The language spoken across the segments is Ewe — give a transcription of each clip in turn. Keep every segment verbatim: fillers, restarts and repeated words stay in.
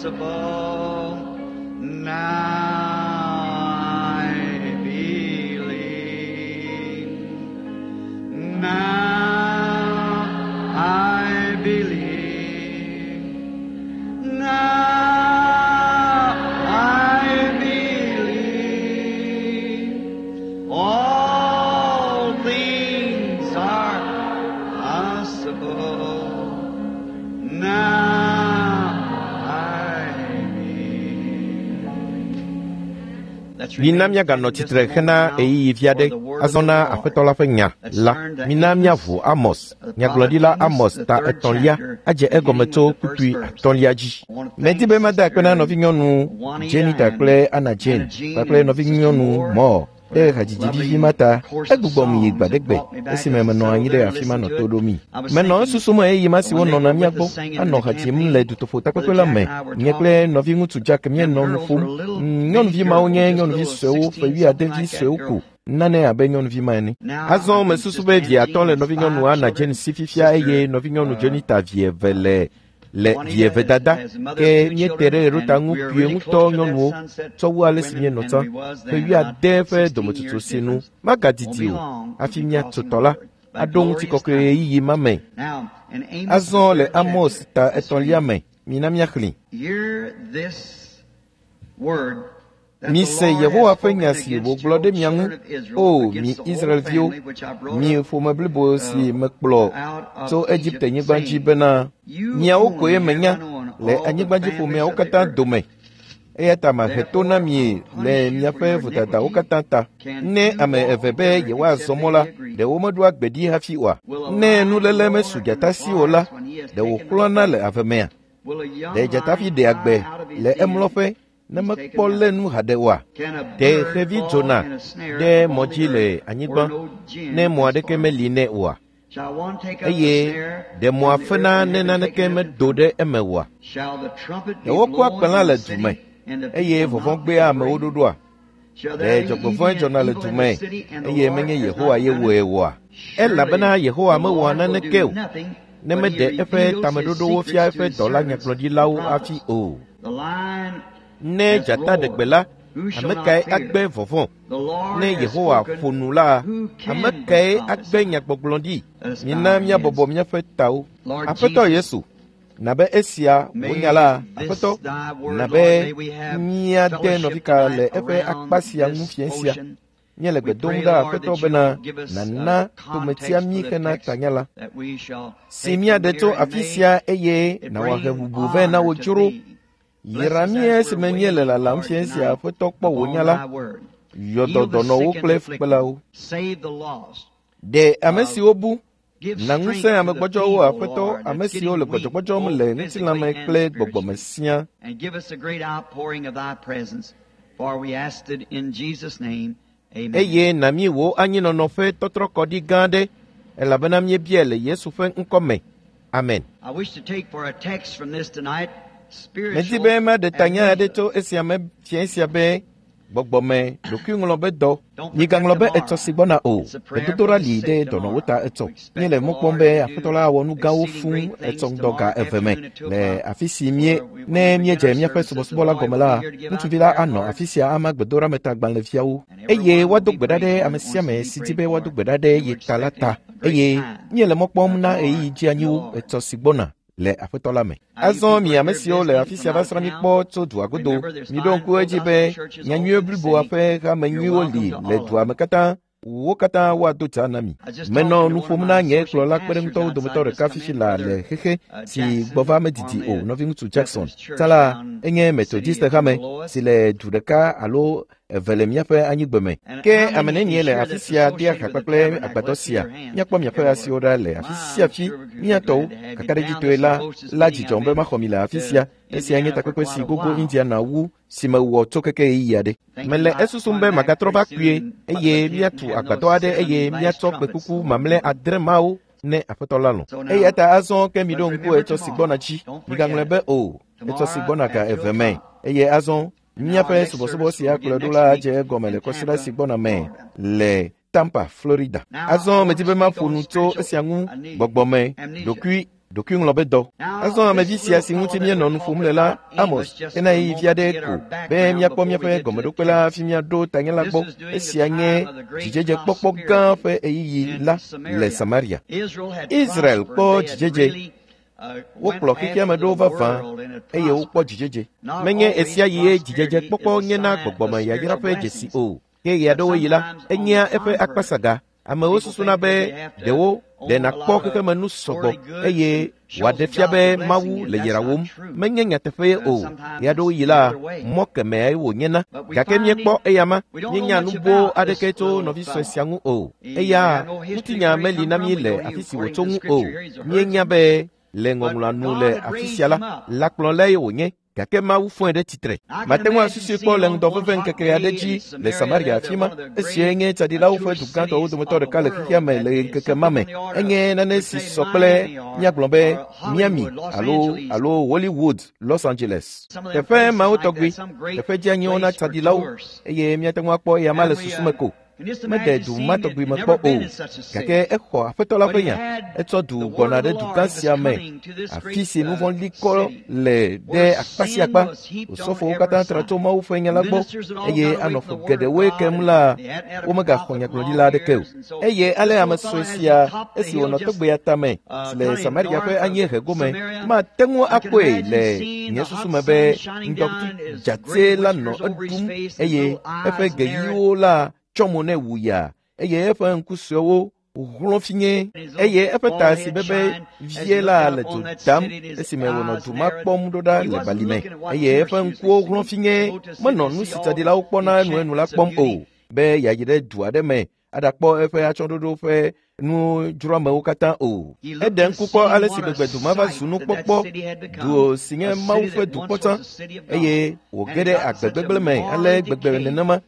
possible. Now I believe. Now I believe. Now I believe. All things are possible. Now I believe. Mina míaganɔ tsitre hena ɣeyiɣi vi aɖe azɔ na Aƒetɔ la ƒe nya la. Mina míaʋu Amos, nyagblɔɖila Amos ta etɔ̃lia adze egɔme tso kpukpui atɔ̃lia dzi. Medi be mada akpe na nɔvinyɔnu Jenita kple Anna Jane kpakple nɔvinyɔnu Moore ɖe hadzidzi vivi ma ta. Egbugbɔm yi gbadegbe esime menɔ anyi ɖe afi ma nɔ to ɖomi. Menɔ esusum ɣeyiɣi ma si wonɔna mía gbɔ anɔ ha dzim le dutoƒo takpekpe la me. Nye kple nɔviŋutsu Jack míenɔ nu ƒom. Nyɔnuvi mawo nye nyɔnuvi suewo ƒe wuiade suewo ko. Nane abe nyɔnuvi ma ene. Azɔ mesusu be vi atɔ̃ le nɔvinyɔnu Anna Jane si fifia eye nɔvinyɔnu Jenita vi eve le le vi eve dada ke míete ɖe ɣeɖota ŋu kpuie ŋutɔ nyɔnuwo tsɔ wu ale si míenɔ tsã. Ƒe wuiade ƒe dometsotso si nu magadidi o hafi míatso tɔ la aɖo ŋutikɔkɔe ɣeyiɣi ma me. Azɔ le Amos ta etɔ̃lia me, mina míaxlẽ. Hear this word that the Mise Lord Yehowa has ƒe nya spoken si against wògblɔ your ɖe mia ŋu, children of Israel, O mi against the whole Israelviwo, family which I brought mi up ƒome blibo si mekplɔ out of tso Egypt, Egipte-nyigba dzi saying, bena You miawo koe only have menya I known le all the anyigbadziƒomeawo families of the katã earth. dome. Eya ta mahe to na Therefore, mi I will le punish you for miaƒe your vodadawo iniquity. katã ta. Can Ne two ame walk eve be together yewoazɔ except mɔ they la, be agreed? ɖe womeɖoa gbe ɖi hafi oa? Will a Ne lion nuléle roar mesu in the dzata si o la, forest when he has ɖe taken no wòxlɔ̃na le prey? ave mea? Will a young Ɖe dzatavi lion ɖea cry gbe out of his le den emlɔƒe ne if he's taken mekpɔ lé nothing? nu haɖe oa? Can a Ɖe bird xevi fall dzona in a snare ɖe mɔ upon dzi the le earth anyigba where no gin ne mɔ is aɖeke formed? meli nɛ oa? Shall one take up a Eye snare ɖe mɔa from the earth fena and ne have it naneke taken nothing medo from ɖe it? eme oa? Shall the trumpet Ɖe be wokua blown kpẽ in le the du city me and the eye people vɔvɔ̃ not be gbea amewo afraid? ɖoɖoa? Shall Ɖe there be dzɔgbevɔ̃e evil dzɔna le evil du in the me city and the eye Lord menye has Yehowa not ye done wɔe it? oa? Surely Elabena Yehowa the mewɔa Lord will naneke do o nothing, ne but he meɖe eƒe reveals his tameɖoɖowo fia secrets to eƒe his dɔla servants, the nyagblɔɖilawo hafi prophets. o. The lion Ne has dzata ɖe gbe roared. la, Who shall ame not kae fear? agbe vɔvɔ̃? The Lord Ne has Yehowa spoken. ƒo nu la, Who ame can but kae agbe prophesy? nyagbɔgblɔ ɖi? Let us bow Mina our míabɔbɔ heads. míaƒe tawo. Lord Aƒetɔ Jesus, Yesu, nabe esia wò nya may la, this Aƒetɔ, thy word, nabe Lord, may we have míade fellowship nɔvika le tonight eƒe akpa around sia ŋu this fiẽ sia. ocean. Míele We gbe dom pray, ɖa Lord, Aƒetɔ that you bena will give us a nàna tometia context mí for the hena text tanya la. that we shall Si take from míaɖe here tso and afi may sia eye it nàwɔ bring hebubu vɛ na honor wò to dzro. thee. Bless Yra us mí as we're esime míele waiting, lalam Lord, fiẽ sia tonight Aƒetɔ kpɔ wò upon nya la. thy word. Yɔ Heal dɔ the dɔnɔwo sick and kple the afflicted. fukpelawo. Save the lost. Ɖe ame Uh, siwo bu give na ŋusẽ strength to ame the gbɔdzɔwo feeble, Aƒetɔ, Lord, ame that's siwo le getting weak, gbɔdzɔgbɔdzɔm both le physically ŋutilãme and kple gbɔgbɔme spiritually. siaa. And give us a great outpouring of thy presence, for we asked it in Jesus' name. Amen. Eye na mí wò anyinɔnɔ ƒe tɔtrɔkɔɖi gã aɖe elabena míebiae le Yesu ƒe ŋkɔ me. Amen. I wish to take for a text from this tonight Medi spiritual be maɖe tanya aɖe amnesia. tso esia me fiẽ sia be gbɔgbɔme ɖokuiŋlɔ be dɔ. Don't forget Migaŋlɔ be etsɔ tomorrow. si gbɔna o. It's a prayer for Gbedodoɖa the li ɖe sick dɔnɔwo tomorrow. ta etsɔ. We expect Míele the mɔ kpɔm Lord be to Aƒetɔ do la awɔ nu gãwo exceeding fũu great things etsɔ ŋdɔ tomorrow ga eve me afternoon at two le o'clock. afi si mie Where we, when ne we begin míedze our míaƒe services, the subɔsubɔ la boy gɔme will be la, here to give out ŋutsuvi la prayer anɔ cards, afi sia ama gbedoɖametagbalẽviawo and eye everyone will woado be gbe ɖa prayed ɖe for ame that sia wants to ame be si di prayed be woado for. gbe ɖa ɖe And ye we're ta la expecting ta a great eye time míele mɔ kpɔm uh, na tomorrow ɣeyiɣi in the dzeanyiwo Lord. etsɔ si gbɔna le Aƒetɔ la me. Now, you Azɔ people mi are ame here siwo le visiting afi from sia va out of srã mí town. kpɔ tso dua godo, Remember, there's miɖo five ŋku full edzi gospel be churches all nyanyuie over the bliboa city. ƒe hame You're nyuiwo welcome li to le all of dua them. me katã. Wo katã woado dza na mi. I was just Menɔ talking to nu one of ƒom my na nye associate kplɔla pastors kpeɖeŋutɔwo dometɔ outside just ɖeka come fifi in, la Brother le xexe uh, si gbɔ va Jackson, medidi o formerly of nɔviŋutsu Jackson. Methodist Church Tsã la down enye city Methodist of hame Lewis. si le du ɖeka alo eve le míaƒe anyigbe me. And Ke how ame many nenie is le here afi that's sia dea associated ha with the kpakple tabernacle? agbadɔ Let's see sia? your hands Míakpɔ miaƒe everywhere. asiwo ɖa le afi My, sia I'm fi. sure we're Mía glad tɔwo to have you down. kakaɖedzitɔe This is la the closest la meeting I've dzidzɔm be been maxɔ mi le afi to sia. Esia nye Indiana for takpekpe quite si a gogo while. Indiana wu si mewɔ tso keke ɣeyiɣi aɖe. Thinking Mele about esusum coming be back magatrɔ pretty va kpuie soon and putting eye a tent and míatu having agbadɔ those aɖe seven eye last míatsɔ trumpets. kpekuku The Lord mamlɛ willing. adre mawo ne Aƒetɔ la lɔ̃. So Eya now, ta azɔ ke but miɖo ŋku remember etsɔ si tomorrow. gbɔna dzi. Don't Migaŋlɔe forget be it. o, etsɔ si Tomorrow gbɔna ga at two eve me. o'clock. Eye azɔ And now our míaƒe next subɔsubɔ service sia will begin kplɔe ɖo next la week dze egɔme in le kɔsiɖa si Tampa, gbɔna me Florida. le Tampa, Florida. Now I Azɔ want medi to be speak maƒo on nu tso spiritual esia ŋu amnesia. gbɔgbɔme Amnesia. ɖokui Ɖokuiŋlɔ be dɔ. Azɔ amevi sia si ŋuti míenɔ nu ƒom le la, Amos, ena ɣeyiɣi vi aɖe ko be míakpɔ míaƒe gɔmeɖokpe la hafi míaɖo tanye la gbɔ. Esia nye dzidzedzekpɔkpɔ gã ƒe ɣeyiɣi la le Samaria. Israel kpɔ dzidzedze. Wokplɔ xexea me ɖo vavã eye wokpɔ dzidzedze. Menye esia ɣie dzidzedzekpɔkpɔ nyena gbɔgbɔme yayra ƒe dzesi o. Ke ɣeaɖewoɣi la, enyea eƒe akpasaga. Amewo susuna be ɖewo ɖe nakpɔ xexemenu sɔgbɔ eye wòaɖe fia be Mawu le yrawom. Menye nyateƒee o. Ɣeaɖewoɣi la, mɔ kemɛae wònyena. Gake míekpɔ eyama, míenya nu boo aɖeke tso nɔvi sue sia ŋu o. Eya ŋutinya meli na mí le afi si wòtso ŋu o. Míenya be le ŋɔŋlɔa nu le afi sia la, lãkplɔlae wònye. Gake Mawu fɔe ɖe tsitre. Mate ŋu asusui kpɔ le ŋdɔ veve ŋkeke aɖe dzi le Samaria afi ma. Esia nye tsaɖilawo ƒe du gãtɔwo dometɔ ɖeka le xexea me le ŋkeke ma me. Enye nane si sɔ kple míagblɔ be Miami alo alo Hollywood, Los Angeles. Teƒe mawo tɔgbi, teƒe dzeanyiwo na tsaɖilawo eye míate ŋu akpɔ eya ma le susu me ko. Mede du ma tɔgbi me kpɔ o, gake exɔ Aƒetɔ la ƒe nya. Etsɔ du gbɔna ɖe dugã sia me, afi si nu vɔ̃ li kɔ le ɖe akpa sia akpa. Osɔfowo katã tra tso Mawu ƒe nya la gbɔ eye anɔ ƒe geɖewoe kem la, womegaxɔ nyagblɔɖila aɖeke o. Eye ale ame sue sia, esi wònɔ togbea tame si le Samaria ƒe anyiehe gome, mate ŋu akpɔe le nye susu me be ŋdɔkutsu dzatse la nɔ eɖum eye eƒe geyiwo la tsɔ mo nɛ wu ya eye eƒe ŋku suewo hlɔ̃ finye eye eƒe ta si bebe vie la le dzo dam esime wònɔ du ma kpɔm ɖo ɖa le balime eye eƒe ŋkuwo hlɔ̃ finye menɔ nu si tsaɖilawo kpɔna enuenu la kpɔm o be yeayi ɖe du aɖe me aɖakpɔ eƒe atsyɔ̃ɖoɖo ƒe nudzroamewo katã o. Eɖe ŋku kpɔ ale si gbegbe du ma va zu nukpɔkpɔ, du si nye Mawu ƒe dukpɔ tsã eye wòge ɖe agbe gbegblẽ me ale gbegbe nenema.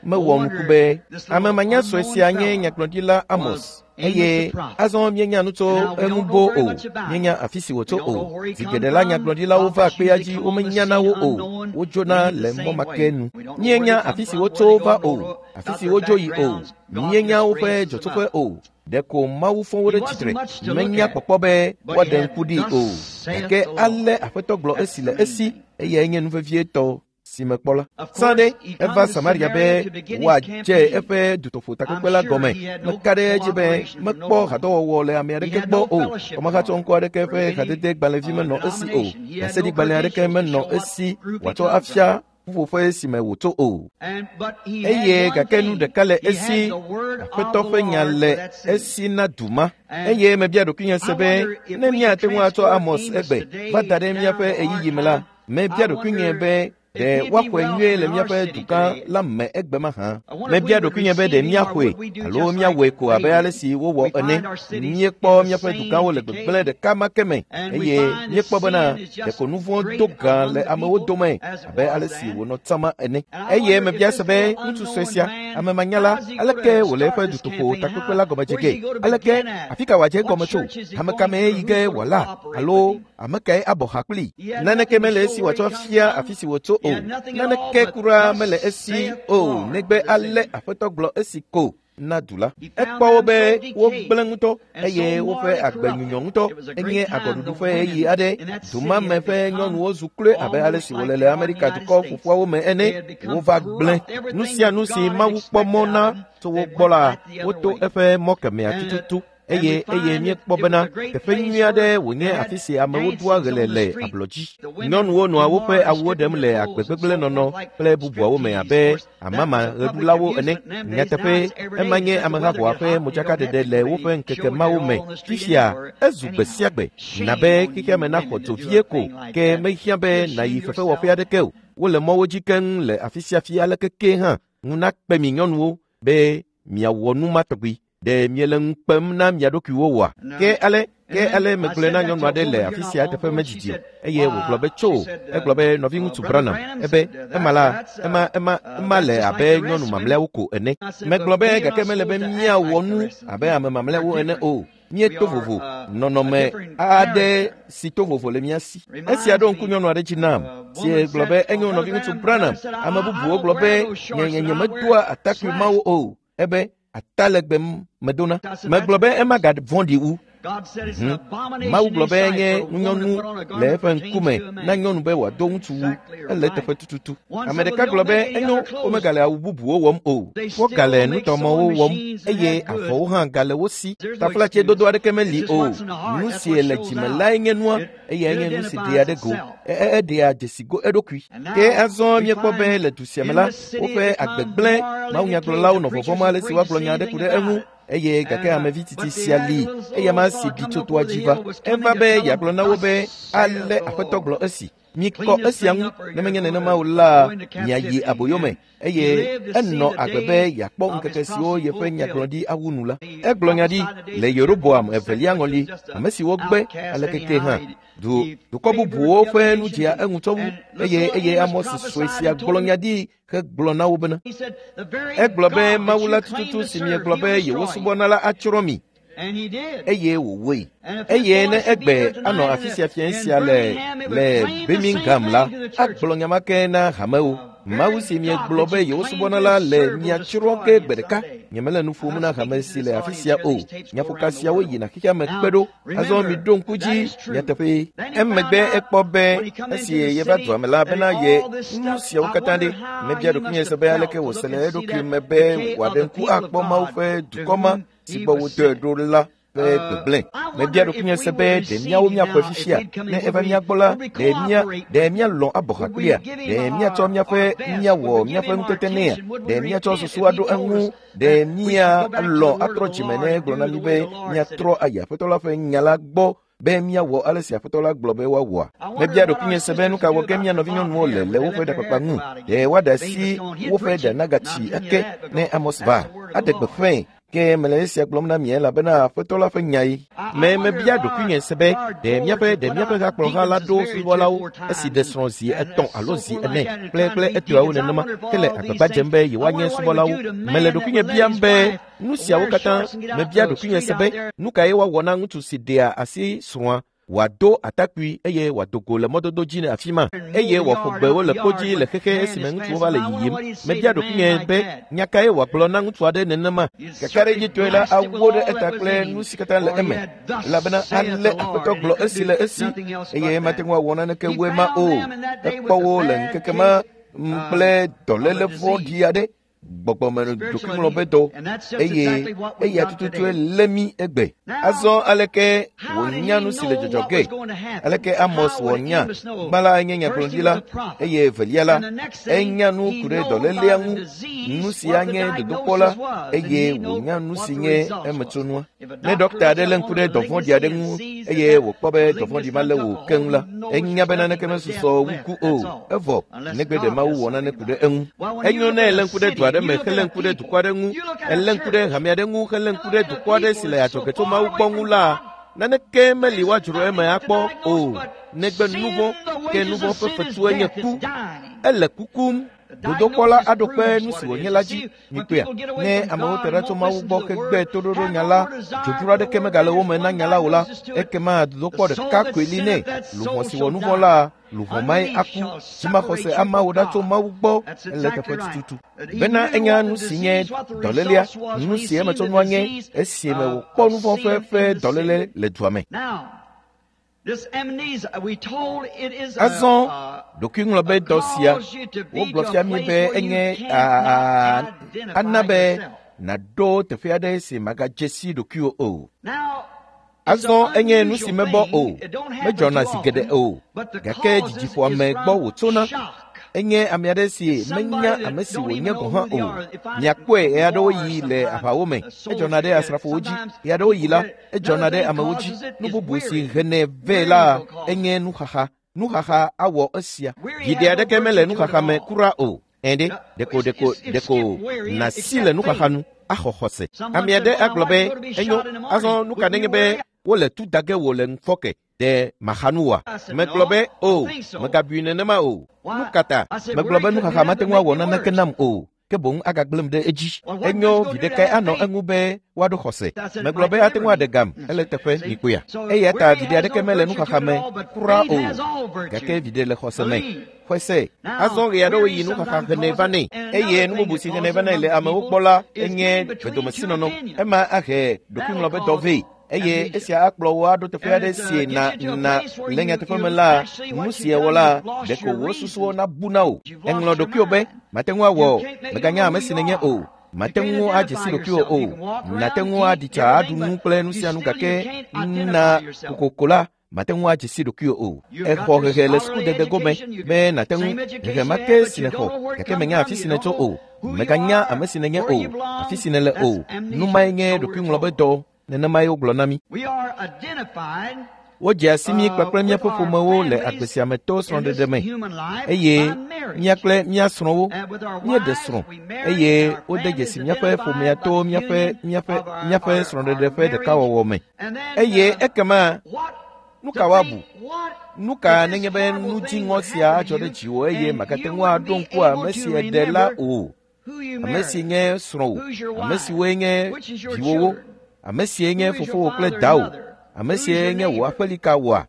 Mewɔ nuku be ame manyasɔe sia nye nyagblɔɖila Amos eye azɔ míenya nu tso eŋu boo o, míenya afi si wòtso o. Zi geɖe la nyagblɔɖilawo va kpea dzi womenya na wo o, wodzona le mɔ ma ke nu. Míenya afi si wotso va o, afi si wodzo yi o, míenya woƒe dzɔtsoƒe o. Ɖeko Mawu fɔ wo ɖe tsitre, menya kpɔkpɔ be woaɖe ŋku ɖi o. Gake ale Aƒetɔ gblɔ esi le esi, eyae nye nu vevietɔ si mekpɔ la. Sã ɖe eva Samaria be wòadze eƒe dutoƒo takpekpe la gɔme. Meka ɖe edzi be mekpɔ hadɔwɔwɔ le ame aɖeke gbɔ o. Kɔmahatsɔ ŋkɔ aɖeke ƒe hadede gbalẽvi menɔ esi o. Ɖaseɖigbalẽ aɖeke menɔ esi wòatsɔ afia ƒuƒoƒe si me wòtso o. Eye gake nu ɖeka le esi, Aƒetɔ ƒe nya le esi na du ma. Eye mebia ɖokuinye se be ne míate ŋu atsɔ Amos egbe va da ɖe míaƒe ɣeyiɣi me la, mebia ɖokuinye be ɖe woaxɔe nyuie le míaƒe dugã la me egbe mahã. Mebia ɖokuinye be ɖe míaxɔe alo míawɔe ko abe ale si wowɔ ene. Míekpɔ míaƒe dugãwo le gbegblẽ ɖeka ma ke me eye míekpɔ bena ɖeko nu vɔ̃ do gã le amewo dome abe ale si wònɔ tsã ene. Eye mebia se be ŋutsu sue sia, ame manyala, aleke wòle eƒe dutoƒo takpekpe la gɔme dze ge? Aleke afi ka wòadze egɔme tso? Ame ka mee yi ge wòala alo ame kae abɔ ha kpli? Naneke mele esi wòatsɔ fia afi si wòtso o. Naneke kura mele esi o negbe ale Aƒetɔ gblɔ esi ko na du la. Ekpɔ wo be wogblẽ ŋutɔ eye woƒe agbe nyunyɔ ŋutɔ. Enye agɔɖuɖu ƒe ɣeyiɣi aɖe. Du ma me ƒe nyɔnuwo zu kloe abe ale si wòle le Amerika dukɔ ƒoƒuawo me ene. Wova gblẽ nu sia nu si Mawu kpɔ mɔ na tso wo gbɔ la, woto eƒe mɔ kemɛa tututu. Eye eye míekpɔ bena teƒe nyui aɖe wònye afi si amewo ɖua ɣe le ablɔdzi. Nyɔnuwo nɔa woƒe awuwo ɖem le agbe gbegblẽ nɔnɔ kple bubuawo me abe amama ɣeɖulawo ene. Nyateƒe, ema nye amehaʋɔa ƒe modzakaɖeɖe le woƒe ŋkeke mawo me. Fifia, ezu gbe sia gbe. Na be xexea me naxɔ dzo vie ko, ke mehiã be nàyi fefewɔƒe aɖeke o. Wole mɔwo dzi keŋ le afi sia afi aleke ke hã. Ŋu nakpe mi nyɔnuwo be miawɔ nu ma tɔgbi. Ɖe miele ŋu kpem na mia ɖokuiwo oa? Ke ale ke ale megblɔe na nyɔnu aɖe le afi sia teƒe medzidzi o eye wògblɔ be tso. Egblɔ be nɔviŋutsu Branham ebe ema la ema ema ema le abe nyɔnu mamlɛawo ko ene. Megblɔ be gake mele be míawɔ nu abe ame mamlɛawo ene o. Míeto vovo, nɔnɔme aɖe si to vovo le mía si. Esia ɖo ŋku nyɔnu aɖe dzi nam si gblɔ be enyo nɔviŋutsu Branham. Ame bubuwo gblɔ be nye nye nyemedoa atakpui mawo o. Ebe atalegbe medona. Megblɔ be ema gavɔ̃ɖi wu. Mawu gblɔ be enye ŋunyɔnu le eƒe ŋkume na nyɔnu be wòado ŋutsuwu. Ele eteƒe tututu. Ame ɖeka gblɔ be enyo womegale awu bubuwo wɔm o. Wogale nutɔmɔwo wɔm eye avɔwo hã gale wo si. Taflatsedodo aɖeke meli o. Nu si le dzime lae nye nua eye nye nu si ɖea ɖe go. Eɖea dzesi go eɖokui. Ke azɔ míekpɔ be le du sia me la, woƒe agbegblẽ mawunyagblɔlawo nɔ vɔvɔ̃m ale si woagblɔ nya aɖe ku ɖe eŋu. Eye gake amevi titi sia li eya ma si ɖi tso toa dzi va. Eva be yeagblɔ na wo be ale Aƒetɔ gblɔ esi. Mikɔ esia ŋu ne menye nenema o la, miayi aboyome. Eye enɔ agbe be yeakpɔ ŋkeke siwo yeƒe nyagblɔɖi awu nu la. Egblɔ nya ɖi le Yeroboam evelia ŋɔli, ame siwo gbe alekeke hã. Du dukɔ bubuwo ƒe nu dzea eŋu tsɔ wu eye eye Amos sue sia gblɔ nya ɖi hegblɔ na wo bena. Egblɔ be Mawu la tututu si miegblɔ be yewosubɔna la atsrɔ̃ mi. Eye wòwɔe. Eye ne egbe anɔ afi sia fiẽ sia le le Birmingham la, agblɔ nya ma ke na hamewo. Mawu si miegblɔ be yewosubɔna la le miatsrɔ̃ ge gbe ɖeka. Nyemele nu ƒom na hame si le afi sia o. Nyaƒoka siawo yina xexea me kpe ɖo. Azɔ miɖo ŋku dzi nyateƒee. Emegbe ekpɔ be esi yeva dua me la bena ye nu siawo katã ɖe. Mebia ɖokuinye se be aleke wòse le eɖokui me be wòaɖe ŋku akpɔ Mawu ƒe dukɔ ma si gbɔ wodɔe ɖo la ƒe gbegblẽ. Mebia ɖokuinye se be ɖe míawo míaxɔe fifia ne eva mía gbɔ la, ɖe mía ɖe míalɔ̃ abɔ ha kplia? Ɖe míatsɔ míaƒe míawɔ míaƒe nutete nɛa? Ɖe míatsɔ susu aɖo eŋu? Ɖe míalɔ̃ atrɔ dzime ne egblɔ na mí be míatrɔ ayi Aƒetɔ la ƒe nya la gbɔ be míawɔ ale si Aƒetɔ la gblɔ be woawɔa? Mebia ɖokuinye se be nu ka wɔ ge mía nɔvinyɔnuwo le le woƒe ɖakpakpa ŋu. Ɖe woaɖe asi woƒe ɖa nagatsi ake ne Amos va? Aɖe gbeƒãe. Ke mele esia gblɔm na mi elabena Aƒetɔ la ƒe nyae. Me mebia ɖokuinye se be ɖe míaƒe ɖe míaƒe hakplɔha la ɖo subɔlawo esi ɖe srɔ̃ zi etɔ̃ alo zi ene kple kple etɔawo nenema ke le agbagba dzem be yewoanye subɔlawo. Mele ɖokuinye biam be nu siawo katã mebia ɖokuinye se be nu kae woawɔ na ŋutsu si ɖea asi srɔ̃a wòado atakpui eye wòado go le mɔdodo dzi le afi ma eye wòaƒo gbewo le kpodzi le xexe esime ŋutsuwo va le yiyim. Mebia ɖokuinye be nya kae wòagblɔ na ŋutsu aɖe nenema. Kakaɖedzitɔe la awo ɖe eta kple nu si katã le eme elabena ale Aƒetɔ gblɔ esi le esi eye mate ŋu awɔ naneke wu ema o. Ekpɔ wo le ŋkeke ma kple dɔléle vɔ̃ɖi aɖe. Gbɔgbɔme ɖokuiŋlɔbedɔ eye eya tututue lé mí egbe. Azɔ aleke wònya nu si le dzɔdzɔ ge? Aleke Amos wɔ nya? Gbã la enye nyagblɔɖila eye evelia la enya nu ku ɖe dɔlélea ŋu, nu si anye dodokpɔ la eye wònya nu si nye emetsonua. Ne ɖɔkta aɖe lé ŋku ɖe dɔvɔ̃ɖi aɖe ŋu eye wòkpɔ be dɔvɔ̃ɖi ma lé wò keŋ la, enya be naneke mesusɔ wu ku o. Evɔ negbe ɖe Mawu wɔ nane ku ɖe eŋu. Enyo ne elé ŋku ɖe du aɖe me helé ŋku ɖe dukɔ aɖe ŋu, elé ŋku ɖe hame aɖe ŋu helé ŋku ɖe dukɔ aɖe si le adzɔge tso Mawu gbɔ ŋu la, naneke meli woadzro eme akpɔ o negbe nu vɔ̃, ke nu vɔ̃ ƒe fetue nye ku. Ele kukum. Dodokpɔ la aɖo kpe nu si wònye la dzi. Mikpɔea? Ne amewo te ɖa tso Mawu gbɔ hegbe toɖoɖo nya la, dzodzro aɖeke megale wo me na nya la o la, ekema dodokpɔ ɖeka koe li nɛ. Luʋɔ si wɔ nu vɔ̃ la, luʋɔ mae aku. Dzimaxɔse amawo ɖa tso Mawu gbɔ ele teƒe tututu. Bena enya nu si nye dɔlélea, nu si emetsonua nye esime wòkpɔ nu vɔ̃ ƒe ƒe dɔléle le dua me. Azɔ ɖokuiŋlɔbedɔ sia wogblɔ fia mí be enye ana be nàɖo teƒe aɖe si màgadze si ɖokuiwò o. Azɔ enye nu si mebɔ o, medzɔna zi geɖe o, gake dzidziƒoame gbɔ wòtsona. Enye ame aɖe si menya ame si wònye gɔ̃ hã o. Miakpɔe ɣeaɖewo ɣi le aʋawo me, edzɔna ɖe asrafowo dzi. Ɣeaɖewo ɣi la, edzɔna ɖe amewo dzi. Nu bubu si henɛ vɛ la enye nuxaxa. Nuxaxa awɔ esia. Viɖe aɖeke mele nuxaxa me kura o. Ɛ̃ ɖe, ɖeko ɖeko ɖeko nàsi le nuxaxa nu axɔ xɔse. Ame aɖe agblɔ be enyo, azɔ nu ka nenye be wole tu da ge wò le ŋufɔke ɖe maxa nu oa? Megblɔ be o, megabui nenema o. Nu ka ta? Megblɔ be nuxaxa mate ŋu awɔ naneke nam o. Ke boŋ agagblẽm ɖe edzi. Enyo viɖe kae anɔ eŋu be woaɖo xɔse. Megblɔ be ate ŋu aɖe gam ele teƒe mikpɔea. Eya ta viɖe aɖeke mele nuxaxa me kura o. Gake viɖe le xɔse me. Xɔse. Azɔ ɣe aɖewo yi nuxaxa henɛ vanɛ eye nu bubu si henɛ vanɛ le amewo gbɔ la enye vedomesinɔnɔ. Ema ahe ɖokuiŋlɔbedɔ vɛ. Eye esia akplɔ wò aɖo teƒe aɖe si na na le nyateƒe me la, nu si èwɔ la, ɖeko wò susuwo nabu na wò. Eŋlɔ ɖokuiwò be, mate ŋu awɔ o, mèganya ame si nènye o. Mate ŋu adze si ɖokuiwò o. Nàte ŋu aɖi tsa aɖu nu kple nu sia nu gake na kokoko la, mate ŋu adze si ɖokuiwò o. Exɔ hehe le sukudede gome be nàte ŋu hehe ma ke si nèxɔ gake mènya afi si nètso o. Mèganya ame si nènye o, afi si nèle o. Nu mae nye ɖokuiŋlɔbedɔ. Nenemae wogblɔ na mí. Wodze asi mí kpakple míaƒe ƒomewo le agbe sia me to srɔ̃ɖeɖe me eye mía kple mía srɔ̃wo míeɖe srɔ̃ eye wode dzesi míaƒe ƒomea to míaƒe míaƒe míaƒe srɔ̃ɖeɖe ƒe ɖekawɔwɔ me. Eye ekema nu ka woabu? Nu ka nenye be nu dziŋɔ sia adzɔ ɖe dziwò eye màgate ŋu aɖo ŋku ame si èɖe la o, ame si nye srɔ̃wò, ame siwoe nye viwòwo, ame sie nye fofowò kple dawò, ame sie nye wò aƒelika wòa?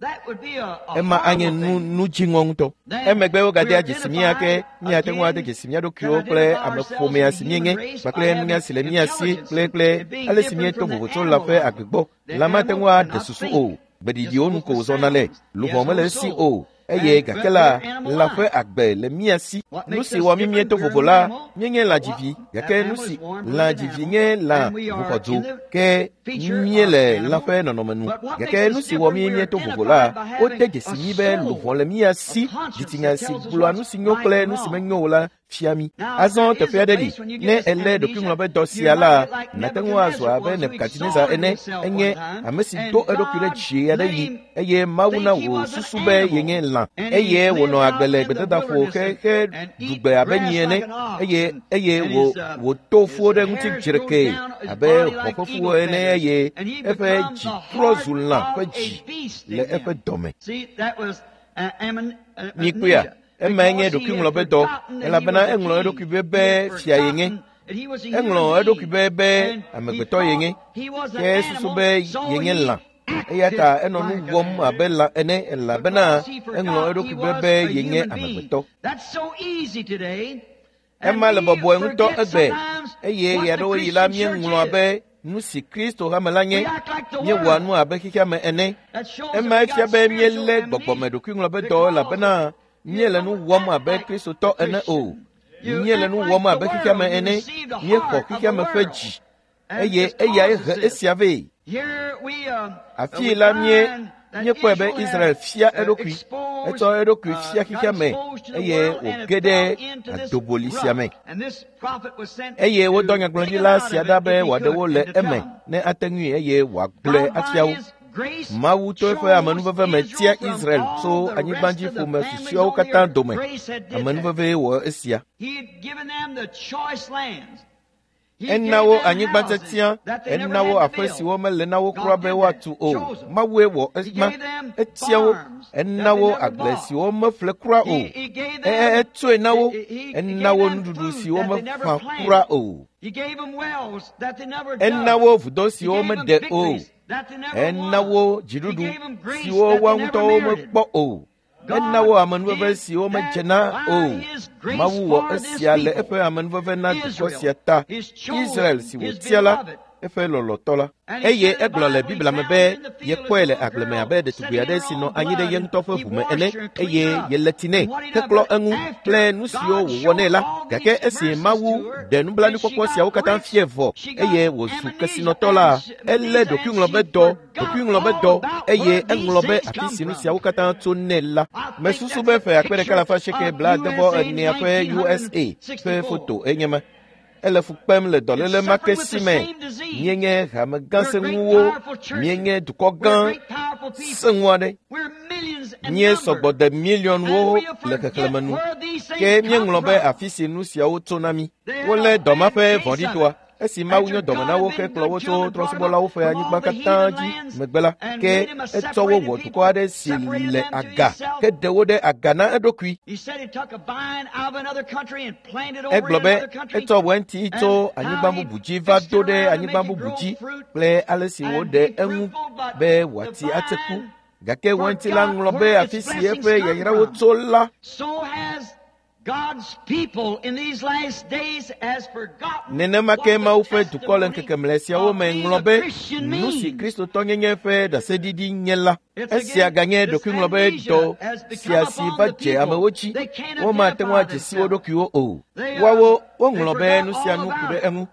Ema anye nu nu dziŋɔ ŋutɔ. Emegbe wogadea dzesi mía ke míate ŋu ade dzesi mía ɖokuiwo kple ameƒomea si míenye kpakple nunya si le mía si kple kple ale si míeto vovo tso lã ƒe agbe gbɔ. Lã mate ŋu aɖe susu o, gbeɖiɖiwo nu ko wòzɔna le, luʋɔ mele esi o. Eye gake la, lã ƒe agbe le mía si. Nu si wɔ mí míeto vovo la, míenye lãdzivi, gake nu si lãdzivi nye lã ʋuxɔdzo, ke míele lã ƒe nɔnɔme nu. Gake nu si wɔ mí míeto vovo la, wode dzesi mí be luʋɔ le mía si, dzitsinya si gblɔa nu si nyo kple nu si menyo o la fia mí. Azɔ teƒe aɖe li, ne èlé ɖokuiŋlɔbedɔ sia la, nàte ŋu azɔ abe Nebukadnezar ene, enye ame si do eɖokui ɖe dzi aɖe yi eye Mawu na wò susu be yenye lã eye wònɔ agbe le gbedadaƒo xexe ɖugbe abe nyi ene eye eye wò wòto fuwo ɖe ŋuti dzrekee abe hɔ̃ ƒe fuwo ene eye eƒe dzi trɔ zu lã ƒe dzi le eƒe dɔme. Mikpɔea? Emae nye ɖokuiŋlɔbedɔ elabena eŋlɔ eɖokui be be fia yenye. Eŋlɔ eɖokui be be amegbetɔ yenye. Ke susu be yenye lã. Eya ta enɔ nu wɔm abe lã ene elabena eŋlɔ eɖokui be be yenye amegbetɔ. Ema le bɔbɔe ŋutɔ egbe eye ɣeaɖewoɣi la míeŋlɔa be nu si Kristo hame la nye, míewɔa nu abe xexea me ene. Emae fia be míelé gbɔgbɔme ɖokuiŋlɔbedɔ elabena míele nu wɔm abe Kristotɔ ene o. Míele nu wɔm abe xexea me ene. Míexɔ xexea me ƒe dzi eye eyae he esia vɛ. Afii la mie míekpɔe be Israel fia eɖokui, etsɔ eɖokui fia xexea me eye wòge ɖe adoboli sia me. Eye wodɔ nyagblɔɖila sia ɖa be wòaɖe wo le eme ne ate ŋui eye wòagblɔe afia wo. Mawu to eƒe amenuveve me tia Israel tso anyigbadziƒome susɔeawo katã dome. Amenuvevee wɔ esia. Ena wo anyigba tiatia, ena wo aƒe siwo mele na wo kura be woatu o. Mawue wɔ ema. Etia wo. Ena wo agble siwo meƒle kura o. Etsoe na wo. Ena wo nuɖuɖu siwo meƒã kura o. Ena wo vudo siwo meɖe o. Ena wo dziɖuɖu siwo woa ŋutɔwo mekpɔ o. Ena wo amenuveve siwo medze na o. Mawu wɔ esia le eƒe amenuveve na dukɔ sia ta, Israel si wòtia la, eƒe lɔlɔ̃tɔ la. Eye egblɔ le Biblia me be yekpɔe le agble me abe ɖetugbi aɖe si nɔ anyi ɖe ye ŋutɔ ƒe ʋu me ene eye yele tsi nɛ heklɔ eŋu kple nu siwo wòwɔ nɛ la. Gake esi Mawu ɖe nublanuikpɔkpɔ siawo katã fiae vɔ eye wòzu kesinɔtɔ la, elé ɖokuiŋlɔbedɔ ɖokuiŋlɔbedɔ eye eŋlɔ be afi si nu siawo katã tso nɛ la. Mesusu be ƒe akpe ɖeka alafa asieke blaadevɔ enea ƒe U S A ƒe foto enye ma. Ele fu kpem le dɔléle ma ke si me. Míenye hame gã sẽŋuwo, míenye dukɔ gã sẽŋu aɖe. Míesɔgbɔ de miliɔnwo le xexlẽme nu. Ke míeŋlɔ be afi si nu siawo tso na mí. Wolé dɔ ma ƒe vɔ̃ɖitɔa. Esi Mawu nye dɔme na wo hekplɔ wo tso trɔ̃subɔlawo ƒe anyigba katã dzi megbe la, ke etsɔ wo wɔ dukɔ aɖe si le aga heɖe wo ɖe aga na eɖokui. Egblɔ be etsɔ wɛnti tso anyigba bubu dzi va do ɖe anyigba bubu dzi kple ale si wòɖe eŋu be wòati atse ku. Gake wɛnti la ŋlɔ be afi si eƒe yayrawo tso la. Nenema ke Mawu ƒe dukɔ le ŋkeke mlɔe siawo me ŋlɔ be nu si Kristotɔnyenye ƒe ɖaseɖiɖi nye la. Esia ganye ɖokuiŋlɔbe dɔ sia si va dze amewo dzi. Womate ŋu adze si wo ɖokuiwo o. Woawo woŋlɔ be nu sia nu ku ɖe eŋu.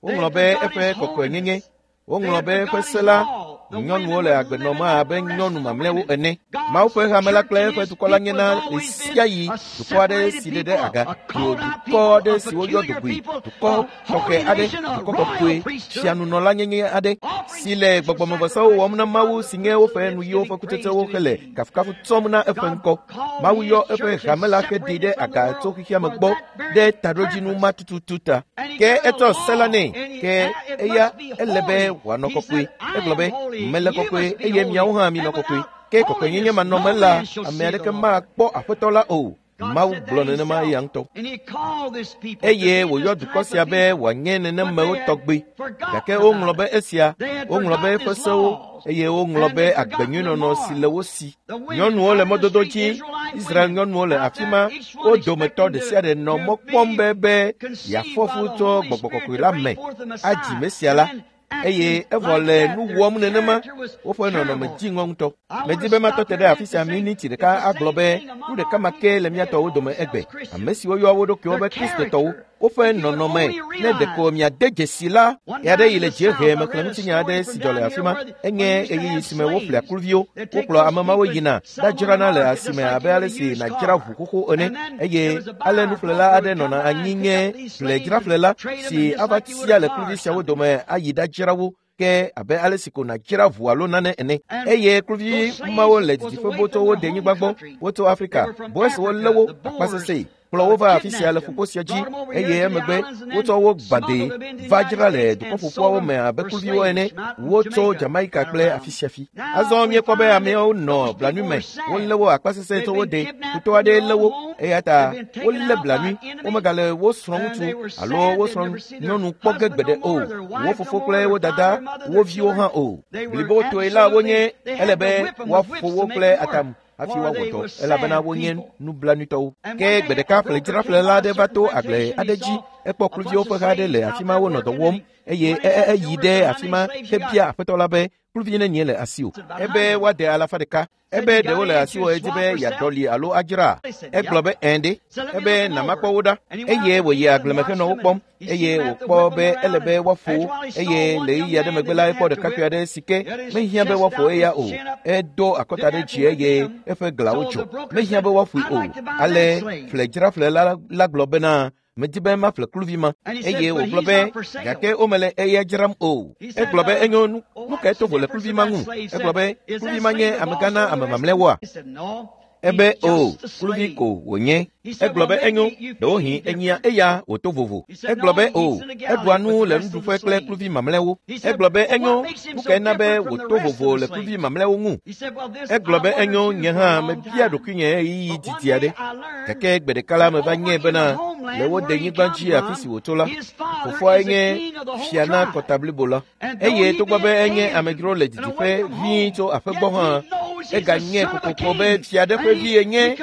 Woŋlɔ be eƒe kɔkɔenyenye. Woŋlɔ be eƒe se la nyɔnuwo le agbe nɔm abe nyɔnu mamlɛwo ene. Mawu ƒe hame la kple eƒe dukɔ la nyena ɣe sia ɣi dukɔ aɖe si ɖe ɖe aga, dukɔ aɖe si woyɔ dugui, dukɔ tɔxɛ aɖe, dukɔ kɔkɔe, fianunɔlanyenye aɖe si le gbɔgbɔmevɔsawo wɔm na Mawu si nye woƒe nuyiwo ƒe kutsetsewo hele kafukafu tsɔm na eƒe ŋkɔ. Mawu yɔ eƒe hame la heɖee ɖe aga tso xexea me gbɔ ɖe taɖodzinu ma tututu ta. Ke etsɔ se la nɛ, ke eya ele be wòanɔ kɔkɔe. Egblɔ be mele kɔkɔe eye miawo hã minɔ kɔkɔe. Ke kɔkɔenyenye manɔme la, ame aɖeke makpɔ Aƒetɔ la o. Mawu gblɔ nenema eya ŋutɔ. Eye wòyɔ dukɔ sia be wòanye nenemewo tɔgbe. Gake woŋlɔ be esia, woŋlɔ be eƒe sewo, eye woŋlɔ be agbenyuinɔnɔ si le wo si. Nyɔnuwo le mɔdodo dzi, Israel nyɔnuwo le afi ma, wo dometɔ ɖe sia ɖe nɔ mɔ kpɔm be be yeafɔ fu tso gbɔgbɔ kɔkɔe la me adzi Mesia la. Eye evɔ le nu wɔm nenema, woƒe nɔnɔme dzi ŋɔ ŋutɔ. Medi be matɔ te ɖe afi sia miniti ɖeka agblɔ be nu ɖeka ma ke le mía tɔwo dome egbe. Ame siwo yɔa wo ɖokuiwo be Kristotɔwo, woƒe nɔnɔme ne ɖeko miade dzesi la, ɣe aɖe yi le dziehe mexlẽ ŋutinya aɖe si dzɔ le afi ma. Enye ɣeyiɣi si me woƒlea kluviwo, wokplɔ ame mawo yina ɖadzrana le asime abe ale si nàdzra ʋu xoxo ene. Eye ale nuƒlela aɖe nɔna anyi nye ƒledzraƒlela si ava tia le kluvi siawo dome ayi ɖadzra wo ke abe ale si ko nàdzra ʋu alo nane ene. Eye kluvi mawo le didiƒe botso wo denyigba gbɔ, wotso Afrika, Boers lé wo akpasesẽe, kplɔ wo va afi sia le ƒukpo sia dzi, eye emegbe wotsɔ wo gbadee va dzra le dukɔƒoƒoawo me abe kluviwo ene. Wotso Jamaica kple afi sia fi. Azɔ míekpɔ be ameawo nɔ blanui me, wolé wo akpasesẽe tso wo de, futɔ aɖee lé wo, eya ta wolé blanui, womegale wo srɔ̃ŋutsu alo wo srɔ̃nyɔnu kpɔ ge gbeɖe o, wo fofo kple wo dada, wo viwo hã o. Blibotoe la wonye, ele be woaƒo wo kple atam hafi woawɔ dɔ, elabena wonye nublanuitɔwo. Ke gbe ɖeka ƒledzraƒlela aɖe va to agble aɖe dzi, ekpɔ kluviwo ƒe ha aɖe le afi ma wonɔ dɔ wɔm, eye eyi ɖe afi ma hebia aƒetɔ la be kluvi nenie le asiwò. Ebe woade alafa ɖeka. Ebe ɖewo le asiwò edi be yeaɖɔli alo adzra. Egblɔ be ɛ̃ ɖe. Ebe nàmakpɔ wo ɖa. Eye wòyi agbleme henɔ wo kpɔm. Eye wòkpɔ be ele be woaƒo wo. Eye le ɣeyiɣi aɖe megbe la, ekpɔ ɖekakpui aɖe si ke mehiã be woaƒo eya o. Edo akɔta ɖe dzi eye eƒe glawo dzɔ. Mehiã be woaƒoe o. Ale ƒledzraƒlela la gblɔ bena medi be maƒle kluvi ma. Eye wògblɔ be gake womele eya dzram o. Egblɔ be enyo nu kae to vo le kluvi ma ŋu? Egblɔ be kluvi ma nye amegã na ame mamlɛwoa? Ebe o, kluvi ko wònye. Egblɔ be enyo, ɖewohĩ enyia eya wòto vovo. Egblɔ be o, eɖua nu le nuɖuƒe kple kluvi mamlɛwo. Egblɔ be enyo, nu kae na be wòto vovo le kluvi mamlɛwo ŋu? Egblɔ be enyo, nye hã mebia ɖokuinye ɣeyiɣi didi aɖe. Gake gbe ɖeka la meva nyae bena le wo denyigba dzi afi si wòtso la, fofoae nye fia na kɔta blibo la. Eye togbɔ be enye amedzro le didiƒe vĩi tso aƒe gbɔ hã, eganye kokoko be fia ɖe ƒe vi enye,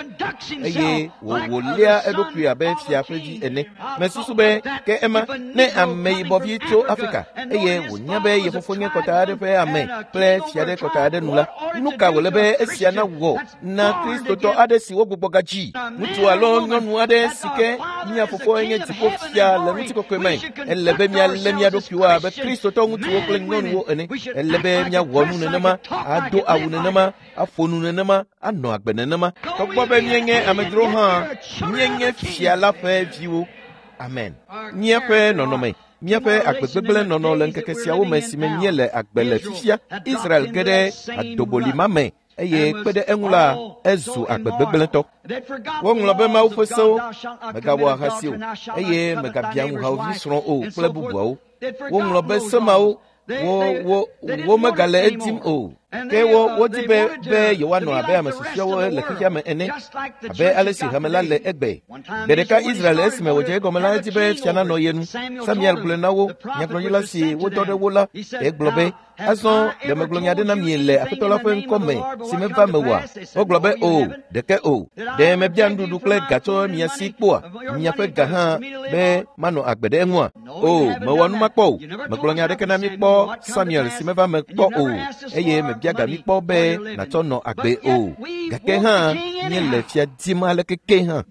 eye wòwòlia eɖokui abe fia ƒe vi ene. Mesusu be ke ema ne ameyibɔvi tso Afrika eye wònya be ye fofo nye kɔta aɖe ƒe ame kple fia ɖe kɔta aɖe nu la, nu ka wòle be esia nawɔ na Kristotɔ aɖe si wogbugbɔ gadzi, ŋutsu alo nyɔnu aɖe si ke mía fofoe nye dziƒofia le ŋutikɔkɔe me? Ele be míalé mía ɖokuiwo abe Kristotɔ ŋutsuwo kple nyɔnuwo ene. Ele be míawɔ nu nenema, ado awu nenema, aƒo nu nenema, anɔ agbe nenema. Togbɔ be míenye amedzro hã, míenye fia la ƒe viwo. Amen. Míaƒe nɔnɔme, míaƒe agbegbegblẽ nɔnɔ le ŋkeke siawo me si me míele agbe le fifia, Israel ge ɖe adoboli ma me eye kpe ɖe eŋu la, ezu agbegbegblẽtɔ. Woŋlɔ be Mawu ƒe sewo, mègawɔ ahasi o, eye mègabia ŋu hawòvi srɔ̃ o kple bubuawo. Woŋlɔ be se mawo wo wo womegale edim o. Ke wo wodi be be yewoanɔ abe ame susɔeawo le xexea me ene, abe ale si hame la le egbe. Gbe ɖeka Israel esime wòdze egɔme la edi be fia nanɔ ye nu. Samuel gblɔe na wo, nyagblɔɖila si wodɔ ɖe wo la, egblɔ be, azɔ ɖe megblɔ nya aɖe na mi le Aƒetɔ la ƒe ŋkɔ me si meva mewɔa? Wogblɔ be o, ɖeke o. Ɖe mebia nuɖuɖu kple ga tso mia si kpɔa? Miaƒe ga hã be manɔ agbe ɖe eŋua? O, mewɔ nu ma kpɔ o. Megblɔ nya aɖeke na mi kpɔ Samuel si meva me kpɔ o, eye mebia ga mi kpɔ be nàtsɔ nɔ agbe o. Gake hã míele fia dim aleke ke hã.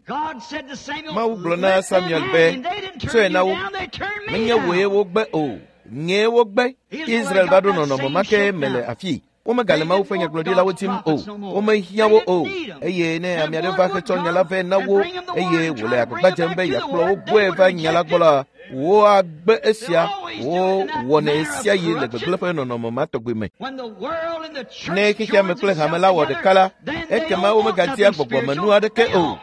Mawu gblɔ na Samuel be, tsɔe na wo. Menye wòe wogbe o. Nyee wogbe. Israel va ɖo nɔnɔme ma ke me le afii. Womegale Mawu ƒe nyagblɔɖilawo dim o. Womehiã wo o. Eye ne ame aɖe va hetsɔ nya la vɛ na wo eye wòle agbagba dzem be yeakplɔ wo gbɔe va nya la gbɔ la, woagbe esia. Wowɔnɛ sia yi le gbegblẽ ƒe nɔnɔme ma tɔgbi me. Ne xexea me kple hame la wɔ ɖeka la, ekema womegadia gbɔgbɔmenu aɖeke o.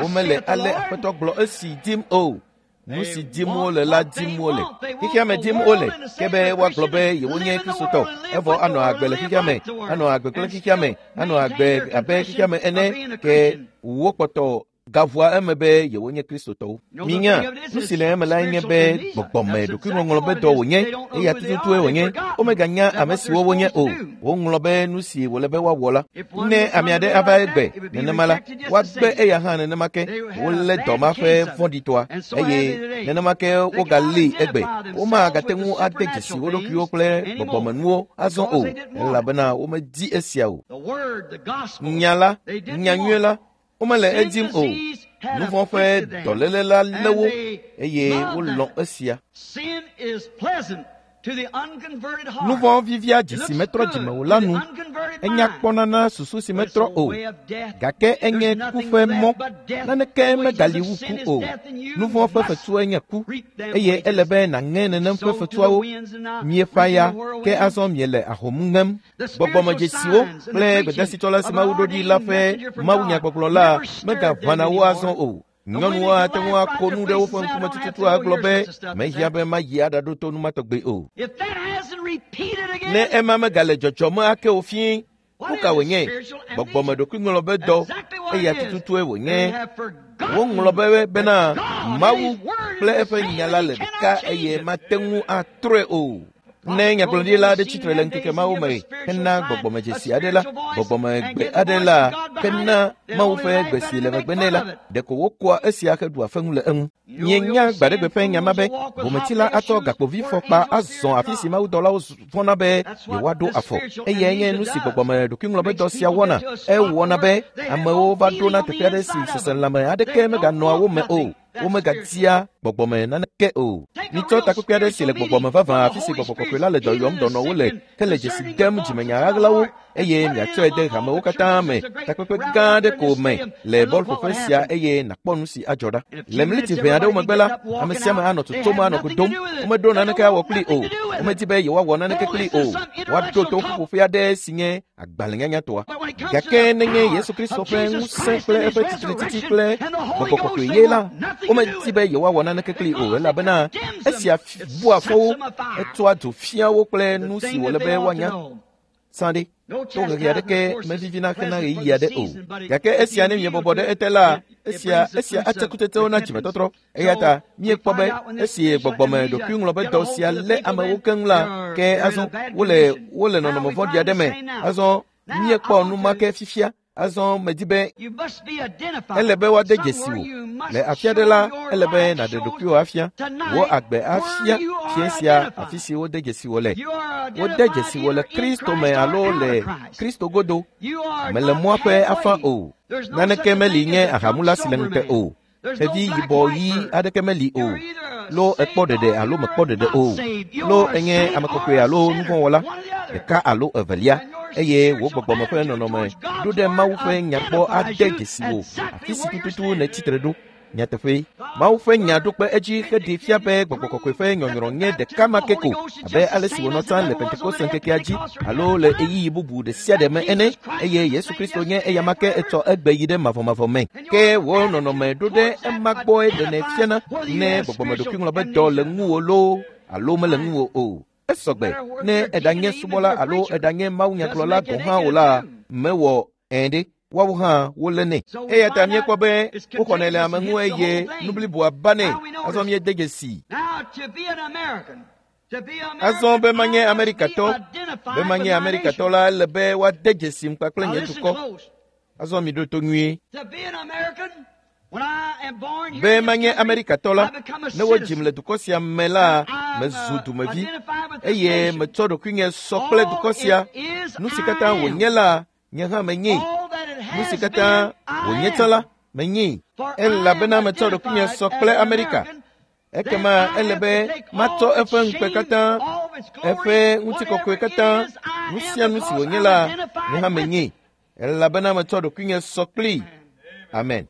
Womele ale Aƒetɔ gblɔ esi dim o. Nu si dim wole la dim wole. Xexea me dim wole, ke be woagblɔ be yewonye Kristotɔ, evɔ anɔ agbe le xexea me, anɔ agbe kple xexea me, anɔ agbe abe xexea me ene, ke wokpɔtɔ gaʋua eme be yewonye Kristotɔwo. Minya, nu si le eme lae nye be gbɔgbɔme ɖokuiŋɔŋlɔ be dɔ wònye, eya tututue wònye. Womeganya ame siwo wonye o. Woŋlɔ be nu si wòle be woawɔ la. Ne ame aɖe ava egbe nenema la, woagbe eya hã nenema ke. Wolé dɔ ma ƒe vɔ̃ɖitɔa eye nenema ke wogalée egbe. Womagate ŋu ade dzesi wo ɖokuiwo kple gbɔgbɔmenuwo azɔ o, elabena womedi esia o. Nya la, nya nyui la, womele edim o. Nu vɔ̃ ƒe dɔléle la lé wo eye wolɔ̃ esia. Nu vɔ̃ vivia dzi si metrɔ dzime o la nu. Enya kpɔna na susu si metrɔ o, gake enye ku ƒe mɔ. Naneke megali wu ku o. Nu vɔ̃ ƒe fetue nye ku, eye ele be nàŋe nenem ƒe fetuawo. Mieƒã ya, ke azɔ miele ahom ŋem. Gbɔgbɔmedzesiwo kple gbedasitsɔla si Mawu ɖo ɖi la ƒe mawunyagbɔgblɔ la megaʋãna wo azɔ o. Nyɔnuwo ate ŋu ako nu ɖe woƒe ŋkume tututu agblɔ be mehiã be mayi aɖaɖo to nu ma tɔgbe o. Ne ema megale dzɔdzɔme ake o fĩi, nu ka wònye? Gbɔgbɔme ɖokuiŋlɔ be dɔ, eya tututue wònye. Woŋlɔ be bena Mawu kple eƒe nya la le ɖeka eye mate ŋu atrɔe o. Ne nyagblɔɖila aɖe tsitre le ŋkeke mawo me hena gbɔgbɔmedzesi aɖe la, gbɔgbɔmegbe aɖe la, hena Mawu ƒe gbe si le megbe nɛ la, ɖeko wokoa esia heɖua feŋu le eŋu. Mienya gbaɖegbe ƒe nya ma be bometsila atsɔ gakpovifɔkpa azɔ afi si mawudɔlawo vɔ̃na be yewoaɖo afɔ. Eyae nye nu si gbɔgbɔme ɖokuiŋlɔbedɔ sia wɔna. Ewɔna be amewo va ɖona teƒe aɖe si seselãme aɖeke meganɔa wo me o. Womegadia gbɔgbɔme naneke o. Mitsɔ takpekpe aɖe si le gbɔgbɔme vavã afi si gbɔgbɔ kɔkɔe la le dɔ yɔm dɔnɔwo le hele dzesi dem dzimenya ɣaɣlawo eye miatsɔe de hamewo katã me takpekpe gã aɖe ko me le bɔlƒoƒe sia eye nàkpɔ nu si adzɔ ɖa. Le mliti ʋɛ aɖewo megbe la, ame sia ame anɔ tutum anɔ godom. Womeɖo naneke awɔ kpli o. Womedi be yewoawɔ naneke kpli o. Woaɖo to ƒuƒoƒe aɖe si nye agbalẽnyanyatɔa. Gake nenye Yesu Kristo ƒe ŋusẽ kple eƒe tsitretiti kple gbɔgbɔ kɔkɔe ye la, womedi be yewoawɔ naneke kpli o, elabena esia bua fɔ wo, etsɔa dzo fia wo kple nu si wòle be woanya. Sã ɖe, tohehe aɖeke mevivina hena ɣeyiɣi aɖe o. Gake esia ne miebɔbɔ ɖe ete la, esia esia atse kutsetsewo na dzimetɔtrɔ. Eya ta míekpɔ be esi gbɔgbɔme ɖokuiŋlɔbedɔ sia lé amewo keŋ la, ke azɔ wole wole nɔnɔme vɔ̃ɖi aɖe me. Azɔ míekpɔ nu ma ke fifia. Azɔ medi be ele be woade dzesi wò. Le afi aɖe la, ele be nàɖe ɖokuiwò afia. Wò agbe afia fia sia afi si wode dzesi wò le. Wode dzesi wò le Kristo me alo le Kristo godo. Mele mɔa ƒe afã o. Naneke meli nye ahamula si le ŋute o. Xevi yibɔ ɣi aɖeke meli o. Lo ekpɔ ɖeɖe alo mekpɔ ɖeɖe o. Lo enye ame kɔkɔe alo nuvɔ̃wɔla, ɖeka alo evelia. Eye wò gbɔgbɔme ƒe nɔnɔme ɖo ɖe Mawu ƒe nya gbɔ ade dzesi wò afi si tututu nètsi tre ɖo. Nyateƒe, Mawu ƒe nya ɖo kpe edzi heɖee fia be gbɔgbɔ kɔkɔe ƒe nyɔnyrɔ nye ɖeka ma ke ko abe ale si wònɔ tsã le Pentekoste ŋkekea dzi alo le ɣeyiɣi bubu ɖe sia ɖe me ene, eye Yesu Kristo nye eya ma ke etsɔ egbe yi ɖe mavɔmavɔ me. Ke wò nɔnɔme ɖo ɖe ema gbɔe ɖenɛ fiana ne gbɔgbɔme ɖokuiŋlɔbedɔ le ŋuwò loo alo mele ŋuwò o. Esɔgbe ne eɖanye subɔla alo eɖanye mawunyagblɔla gɔ̃ hã o la, mewɔ ẽ ɖe. Woawo hã wolé nɛ. Eya ta míekpɔ be woxɔnɛ le ame ŋu eye nu bliboa ba nɛ. Azɔ míede dzesi. Azɔ be manye Amerikatɔ, be manye Amerikatɔ la, ele be woade dzesim kpakple nye dukɔ. Azɔ miɖo to nyuie. Be manye Amerikatɔ la, ne wodzim le dukɔ sia me la, mezu dumevi eye metsɔ ɖokuinye sɔ kple dukɔ sia. Nu si katã wònye la, nye hã menyee. Nu si katã wònye tsã la, menyee. Elabena metsɔ ɖokuinye sɔ kple Amerika. Ekema ele be matsɔ eƒe ŋukpe katã, eƒe ŋutikɔkɔe katã, nu sia nu si wònye la, nye hã menyee. Elabena metsɔ ɖokuinye sɔ kplii. Amen.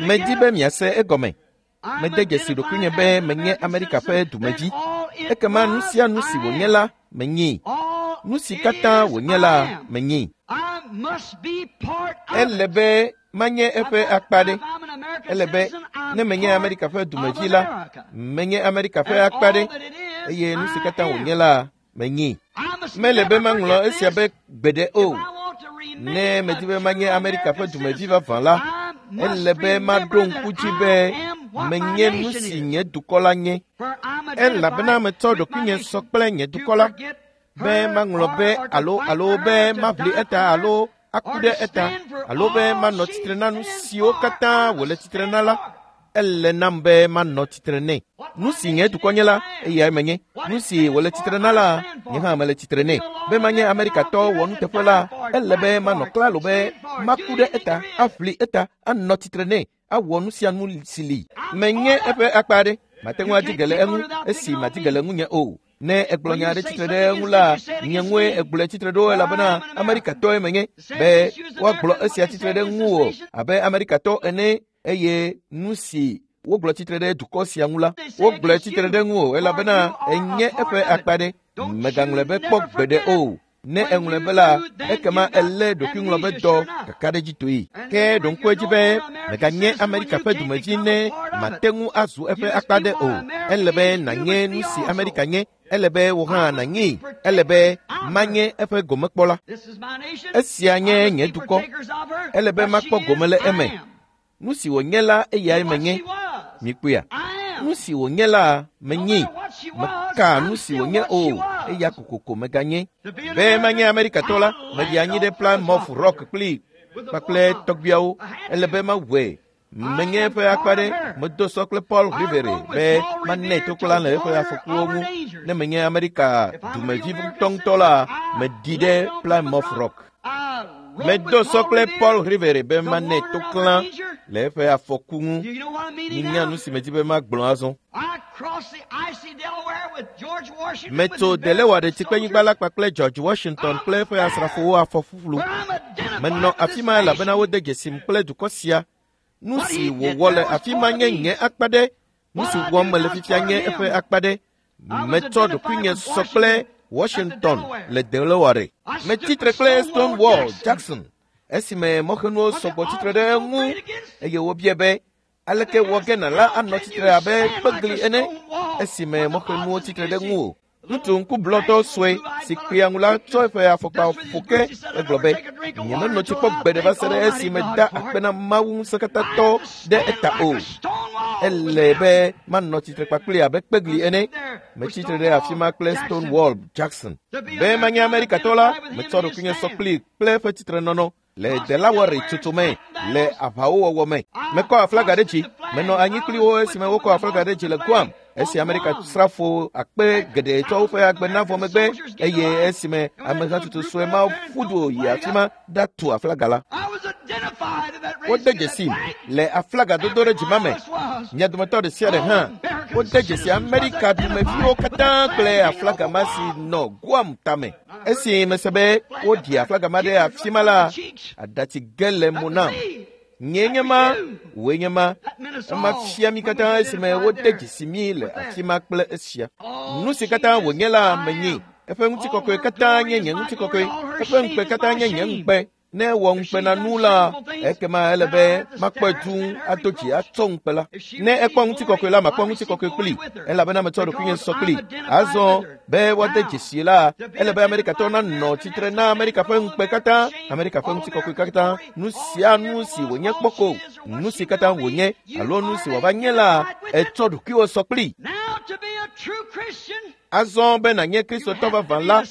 Medi be miase egɔme. Mede dzesi ɖokuinye be menye Amerika ƒe dumevi. Ekema nu sia nu si wònye la, menyee. Nu si katã wònye la, menyee. Ele be manye eƒe akpa ɖe. Ele be ne menye Amerika ƒe dumevi la, menye Amerika ƒe akpa ɖe eye nu si katã wònye la, menyee. Mele be maŋlɔ esia be gbeɖe o. Ne medi be manye Amerika ƒe dumevi vavã la, ele be maɖo ŋku dzi be menye nu si nye dukɔ la nye. Elabena metsɔ ɖokuinye sɔ kple nye dukɔ la, be maŋlɔ be alo alo be maʋli eta alo aku ɖe eta alo be manɔ tsitre na nu siwo katã wòle tsitre na la, ele nam be manɔ tsitre nɛ. Nu si nye dukɔ nye la, eyae menye. Nu si wòle tsitre na la, nye hã mele tsitre nɛ. Be manye Amerikatɔ wɔnuteƒe la, ele be manɔ klalo be maku ɖe eta, aʋli eta, anɔ tsitre nɛ, awɔ nu sia nu si li. Menye eƒe akpa aɖe. Mate ŋu adi ge le eŋu esi madi ge le ŋunye o. Ne egblɔ nya aɖe tsitre ɖe eŋu la, nye ŋue egblɔe tsitre ɖo elabena Amerikatɔe menye. Be woagblɔ esia tsitre ɖe ŋuwò abe Amerikatɔ ene eye nu si wogblɔ tsitre ɖe dukɔ sia ŋu la, wogblɔe tsitre ɖe ŋuwò elabena enye eƒe akpa ɖe. Mègaŋlɔe be kpɔ gbeɖe o. Ne eŋlɔe be la, ekema elé ɖokuiŋlɔ be dɔ kakaɖedzitoe. Ke ɖo ŋku edzi be mèganye Amerika ƒe dumevi ne mate ŋu azu eƒe akpa ɖe o. Ele be nànye nu si Amerika nye. Ele be wò hã nànyee. Ele be manye eƒe gomekpɔla. Esia nye nye dukɔ. Ele be makpɔ gome le eme. Nu si wònye la, eyae menye. Mikpɔea? Nu si wònye la, menyee. Meka nu si wònye o, eya kokoko meganye. Be manye Amerikatɔ la, meɖi anyi ɖe Plymouth Rock kpli kpakple tɔgbuiawo. Ele be mawɔe. Menye eƒe akpa ɖe. Medo sɔ kple Paul Revere be manɛ toklã le eƒe afɔkuwo ŋu. Ne menye Amerika dumevi ŋutɔŋutɔ la, meɖi ɖe Plymouth Rock. Medo sɔ kple Paul Revere be manɛ toklã le eƒe afɔku ŋu. Minya nu si medi be magblɔ azɔ. Metso Delaware tsikpenyigba la kpakple George Washington kple eƒe asrafowo afɔ ƒuƒlu. Menɔ afi ma elabena wode dzesim kple dukɔ sia. Nu si wòwɔ le afi ma nye nye akpa ɖe. Nu si wɔm mele fifia nye eƒe akpa ɖe. Metsɔ ɖokuinye sɔ kple Washington le Delaware. Metsi tre kple Stonewall Jackson esime mɔxenuwo sɔgbɔ tsitre ɖe eŋu eye wobia be aleke wɔ gena la anɔ tsitre abe kpegli ene esime mɔxenuwo tsitre ɖe ŋu o. Ŋutsu ŋkublɔtɔ sue si kpea ŋu la tsɔ eƒe afɔkpa ƒo ke egblɔ be nyemenɔ tsi kpɔ gbeɖe va se ɖe esime da akpe na Mawu ŋusẽkatãtɔ ɖe eta o. Ele be manɔ tsitre kpakpli abe kpegli ene. Metsi tre ɖe afi ma kple Stonewall Jackson. Be manye Amerikatɔ la, metsɔ ɖokuinye sɔ kpli kple eƒe tsitrenɔnɔ le Delaware tsotso me le aʋawo wɔwɔ me. Mekɔ aflaga ɖe dzi. Menɔ anyi kpli wo esime wokɔ aflaga ɖe dzi le Guam. Esi Amerika srafo akpe geɖe tsɔ woƒe agbe na vɔ megbe eye esime amehatsotso sue mawo ƒu du yi afi ma ɖatu aflaga la. Wode dzesi le aflaga dodo ɖe dzima me. Mia dometɔ ɖe sia ɖe hã wode dzesi Amerika dumeviwo katã kple aflaga ma si nɔ Guam tame. Esi mese be woɖi aflaga ma ɖe afi ma la, aɖatsi ge le mo nam. Nye nye ma, wòe nye ma. Ema fia mi katã esime wode dzesi mi le afi ma kple esia. Nu si katã wònye la, menyee. Eƒe ŋutikɔkɔe katã nye nye ŋutikɔkɔe. Eƒe ŋukpe katã nye nye ŋukpe. Ne ewɔ ŋukpenanu la, ekema ele be makpɔe dũu ado dzi atsɔ ŋukpe la. Ne ekpɔ ŋutikɔkɔe la, makpɔ ŋutikɔkɔe kpli elabena metsɔ ɖokuinye sɔ kpli. Azɔ be woade dzesi la, ele be Amerikatɔwo nanɔ tsitre na Amerika ƒe ŋukpe katã, Amerika ƒe ŋutikɔkɔe katã, nu sia nu si wònye kpɔ ko, nu si katã wònye alo nu si wòava nye la, etsɔ ɖokuiwò sɔ kpli. Azɔ be nànye Kristotɔ vavã la,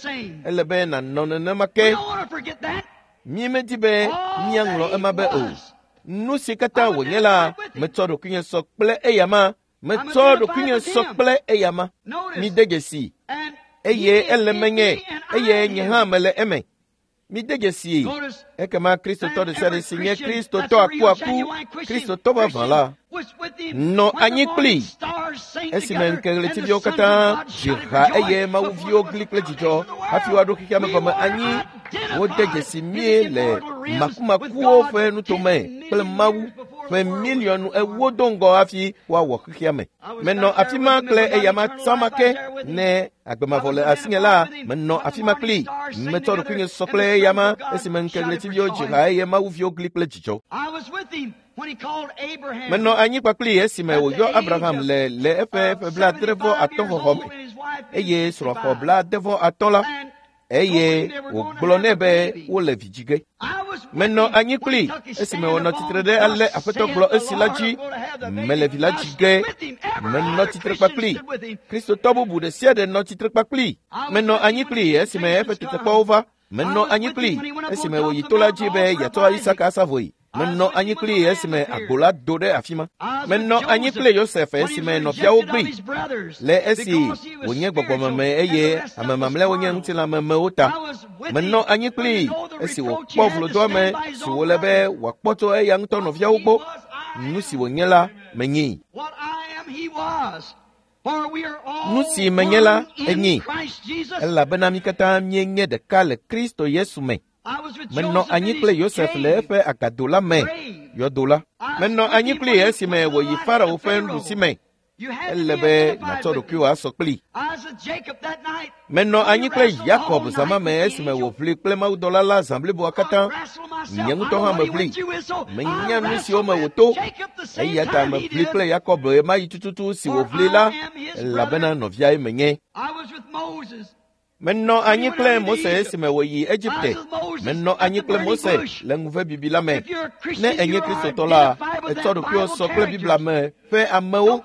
ele be nànɔ nenema ke. Mi medi be míaŋlɔ ema be o. Nu si katã wònye la, metsɔ ɖokuinye sɔ kple eyama. Metsɔ ɖokuinye sɔ kple eyama. Mide dzesi eye ele menye eye nye hã mele eme. Mide dzesi ekema Kristotɔ ɖe sia ɖe si nye Kristotɔ akuaku, Kristotɔ vavã la, nɔ anyi kpli esime ŋkeɣletiviwo katã dzi ha eye mawuviwo gli kple dzidzɔ hafi woaɖo xexea me gɔme anyi. Wode dzesi mí le makumakuwo ƒe nutome kple Mawu ƒe miliɔnu ewo do ŋgɔ hafi woawɔ xexea me. Menɔ afi ma kple eyama tsama ke. Ne agbemavɔ le asinye la, menɔ afi ma kpli. Metsɔ ɖokuinye sɔ kple eyama esime ŋkeɣletiviwo dzi ha eye mawuviwo gli kple dzidzɔ. Menɔ anyi kpakpli esime wòyɔ Abraham le le eƒe ƒe blaadre vɔ atɔ̃ xɔxɔ me eye srɔ̃ xɔ blaade vɔ atɔ̃ la eye wògblɔ nɛ be wole vi dzi ge. Menɔ anyi kpli esime wònɔ tsitre ɖe ale Aƒetɔ gblɔ esi la dzi, mele vi la dzi ge. Menɔ tsitre kpakpli. Kristotɔ bubu ɖe sia ɖe nɔ tsitre kpakpli. Menɔ anyi kpli esime eƒe tetekpɔwo va. Menɔ anyi kpli esime wòyi to la dzi be yeatsɔ Isaka asa vɔe. Menɔ anyi kpli esime agbo la do ɖe afi ma. Menɔ anyi kple Yosef esime nɔviawo gbi le esi wònye gbɔgbɔmeme eye ame mamlɛawo nye ŋutilãmemewo ta. Menɔ anyi kpli esi wòkpɔ vlodoame si wòle be wòakpɔ tso eya ŋutɔ nɔviawo gbɔ. Nu si wònye la, menyee. Nu si menye la, enyee. Elabena mí katã míenye ɖeka le Kristo Yesu me. Menɔ anyi kple Yosef le eƒe agado la me, yɔdo la. Menɔ anyi kpli esime wòyi Farao ƒe nuɖusi me. Ele be nàtsɔ ɖokuiwò asɔ kpli. Menɔ anyi kple Yakob zã me esime wòʋli kple mawudɔla la zã bliboa katã. Nye ŋutɔ hã meʋli. Menya nu siwo me wòto. Eya ta meʋli kple Yakob ɣemaɣi tututu si wòʋli la, elabena nɔviae menye. Menɔ anyi kple Mose esime wòyi Egipte. Menɔ anyi kple Mose le ŋuve bibi la me. Ne enye Kristotɔ la, etsɔ ɖokuiwò sɔ kple Biblia me ƒe amewo.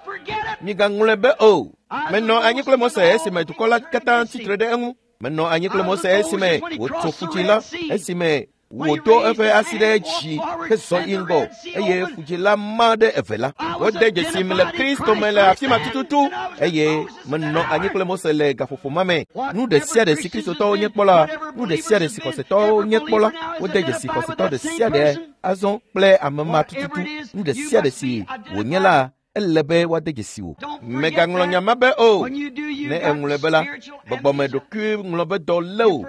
Migaŋlɔe be o. Menɔ anyi kple Mose esime dukɔ la katã tsitre ɖe eŋu. Menɔ anyi kple Mose esime wòtso ƒutsi la, esime wòdo eƒe asi ɖe dzi hezɔ yi ŋgɔ eye ƒudzi la ma ɖe eve la. Wode dzesim le Kristo me le afi ma tututu eye menɔ anyi kple Mose le gaƒoƒo ma me. Nu ɖe sia ɖe si Kristotɔwo nye kpɔ la, nu ɖe sia ɖe si xɔsetɔwo nye kpɔ la, wode dzesi xɔsetɔ ɖe sia ɖe azɔ kple ame ma tututu. Nu ɖe sia ɖe si wònye la, ele be woade dzesi wò. Mègaŋlɔ nya ma be o. Ne eŋlɔe be la, gbɔgbɔme ɖokui ŋlɔ be dɔ lé wò.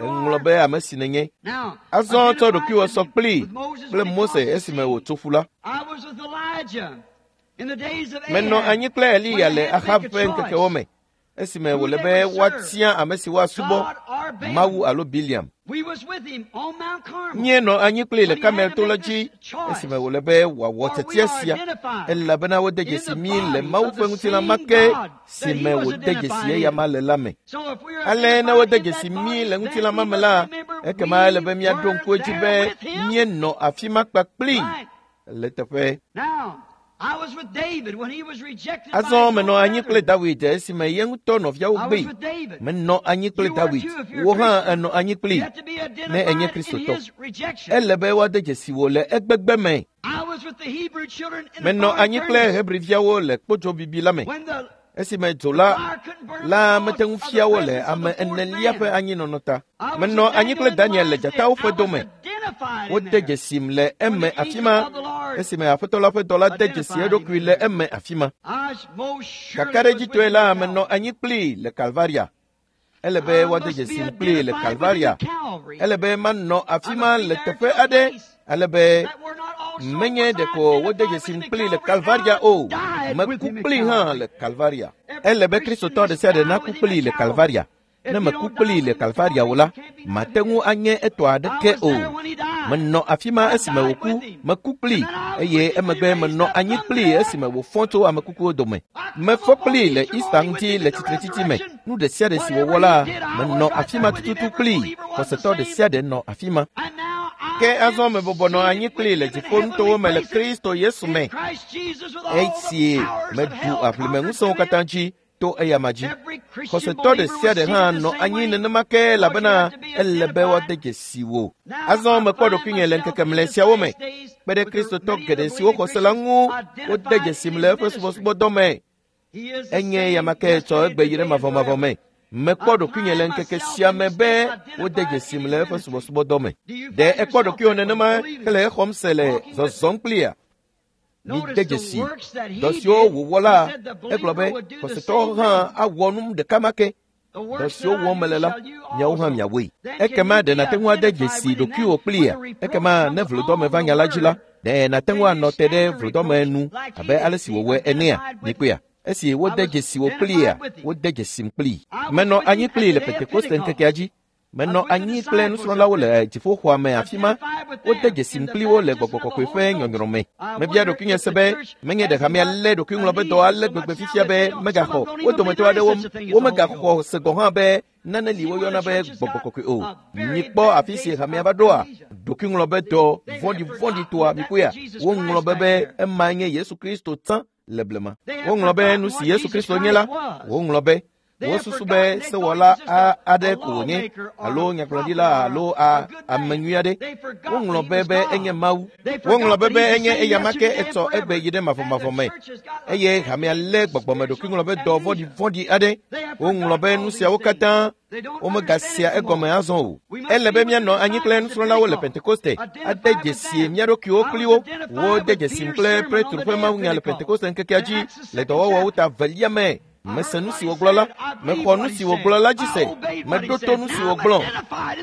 Eŋlɔ be ame si nènye. Azɔ tsɔ ɖokuiwò sɔ kpli kple Mose esime wòtso ƒu la. Menɔ anyi kple Eliya le Ahab ƒe ŋkekewo me esime wòle be woatia ame si woasubɔ, Mawu alo Biliam. Míenɔ anyi kpli le Karmel to la dzi esime wòle be wòawɔ tiatia sia elabena wode dzesi mí le Mawu ƒe ŋutilã ma ke si me wòde dzesi eyama le la me. Ale ne wode dzesi mí le ŋutilã ma me la, ekema ele be míaɖo ŋku edzi be míenɔ afi ma kpakpli le teƒe. Azɔ menɔ anyi kple Dawid esime ye ŋutɔ nɔviawo gbee. Menɔ anyi kple Dawid. Wò hã ènɔ anyi kplii ne enye Kristotɔ. Ele be woade dzesi wò le egbegbe me. Menɔ anyi kple Hebriviawo le kpodzo bibi la me esime dzo la la mete ŋu fia wo le ame enelia ƒe anyinɔnɔ ta. Menɔ anyi kple Daniel le dzatawo ƒe dome. Wode dzesim le eme afi ma esime Aƒetɔ la ƒe dɔla de dzesi eɖokui le eme afi ma. Kakaɖedzitɔe la, menɔ anyi kplii le Kalvaria. Ele be woade dzesim kplii le Kalvaria. Ele be manɔ afi ma le teƒe aɖe ale be menye ɖeko wode dzesim kplii le Kalvaria o, meku kplii hã le Kalvaria. Ele be Kristotɔ ɖe sia ɖe naku kplii le Kalvaria. Ne meku kplii le Kalvaria o la, mate ŋu anye etɔ aɖeke o. Menɔ afi ma esime wòku, meku kplii eye emegbe menɔ anyi kplii esime wòfɔ tso ame kukuwo dome. Mefɔ kplii le Easter ŋuti le tsitretsitsi me. Nu ɖe sia ɖe si wòwɔ la, menɔ afi ma tututu kplii. Xɔsetɔ ɖe sia ɖe nɔ afi ma. Ke azɔ mebɔbɔ nɔ anyi kplii le dziƒonutowo me le Kristo Yesu me. Esi meɖu aʋlimeŋusẽwo katã dzi to eyama dzi. Xɔsetɔ ɖe sia ɖe hã nɔ anyi nenema ke elabena ele be woade dzesi wò. Azɔ mekpɔ ɖokuinye le ŋkeke mlɛ siawo me kpe ɖe Kristotɔ geɖe siwo xɔ se la ŋu wode dzesim le eƒe subɔsubɔdɔ me. Enye yama ke tsɔ egbe yi ɖe mavɔmavɔ me. Mekpɔ ɖokuinye le ŋkeke sia me be wode dzesim le eƒe subɔsubɔdɔ me. Ɖe ekpɔ ɖokuiwò nenema hele exɔm se le zɔzɔm kplia? Mide dzesi dɔ siwo wòwɔ la, egblɔ be xɔsetɔwo hã awɔ nu ɖeka ma ke. Dɔ siwo wɔm mele la, miawo hã miawɔe. Ekema ɖe nàte ŋu ade dzesi ɖokuiwò kplia? Ekema ne vlodɔme va nya la dzi la, ɖe nàte ŋu anɔ te ɖe vlodɔme nu abe ale si wòwɔe enea? Mikpɔea? Esi wode dzesi wò kplia, wode dzesim kplii. Menɔ anyi kplii le Pentekoste ŋkekea dzi. Menɔ anyi kple nusrɔ̃lawo le dziƒoxɔa me afi ma. Wode dzesim kpli wo le Gbɔgbɔ Kɔkɔe ƒe nyɔnyrɔ me. Mebia ɖokuinye se be menye ɖe hamea lé ɖokuiŋlɔbedɔ ale gbegbe fifia be megaxɔ wo dometɔ aɖewo womegaxɔ se gɔ̃ hã be nane li woyɔna be Gbɔgbɔ Kɔkɔe o. Mikpɔ afi si hamea va ɖoa, ɖokuiŋlɔbedɔ vɔ̃ɖivɔ̃ɖitɔa mikpɔea, woŋlɔ be be ema nye Yesu Kristo tsã le blema. Woŋlɔ be nu si Yesu Kristo nye la, woŋlɔ be wosusu be sewɔla aɖe ko wònye alo nyagblɔɖila alo ame nyui aɖe. Woŋlɔ be be enye Mawu. Woŋlɔ be be enye eyama ke etsɔ egbe yi ɖe mavɔmavɔ me. Eye hamea lé gbɔgbɔme ɖokuiŋlɔbedɔ vɔ̃ɖivɔ̃ɖi aɖe. Woŋlɔ be nu siawo katã womegasea egɔme azɔ o. Ele be míanɔ anyi kple nusrɔ̃lawo le Pentekoste ade dzesi mía ɖokuiwo kpli wo. Wode dzesim kple Petro ƒe mawunya le Pentekoste ŋkekea dzi le dɔwɔwɔwo ta velia me. Mese nu si wògblɔ la, mexɔ nu si wògblɔ la dzi se, meɖo to nu si wògblɔ.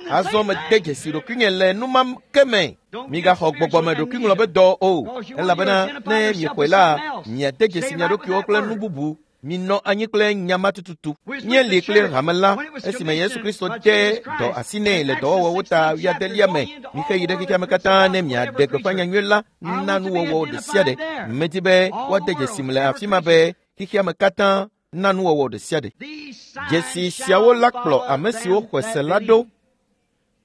Azɔ mede dzesi ɖokuinye le nu ma ke me. Migaxɔ gbɔgbɔme ɖokuiŋlɔbedɔ o, elabena ne miexɔe la, miade dzesi mia ɖokuiwo kple nu bubu. Minɔ anyi kple nya ma tututu. Míeli kple hame la esime Yesu Kristo de dɔ asi nɛ le dɔwɔwɔwo ta wuiadelia me. Mixe yi ɖe xexea me katã ne miaɖe gbeƒã nyanyui la na nuwɔwɔ ɖe sia ɖe. Medi be woade dzesim le afi ma be xexea me katã na nuwɔwɔ ɖe sia ɖe. Dzesi siawo la kplɔ ame siwo xɔe se la ɖo.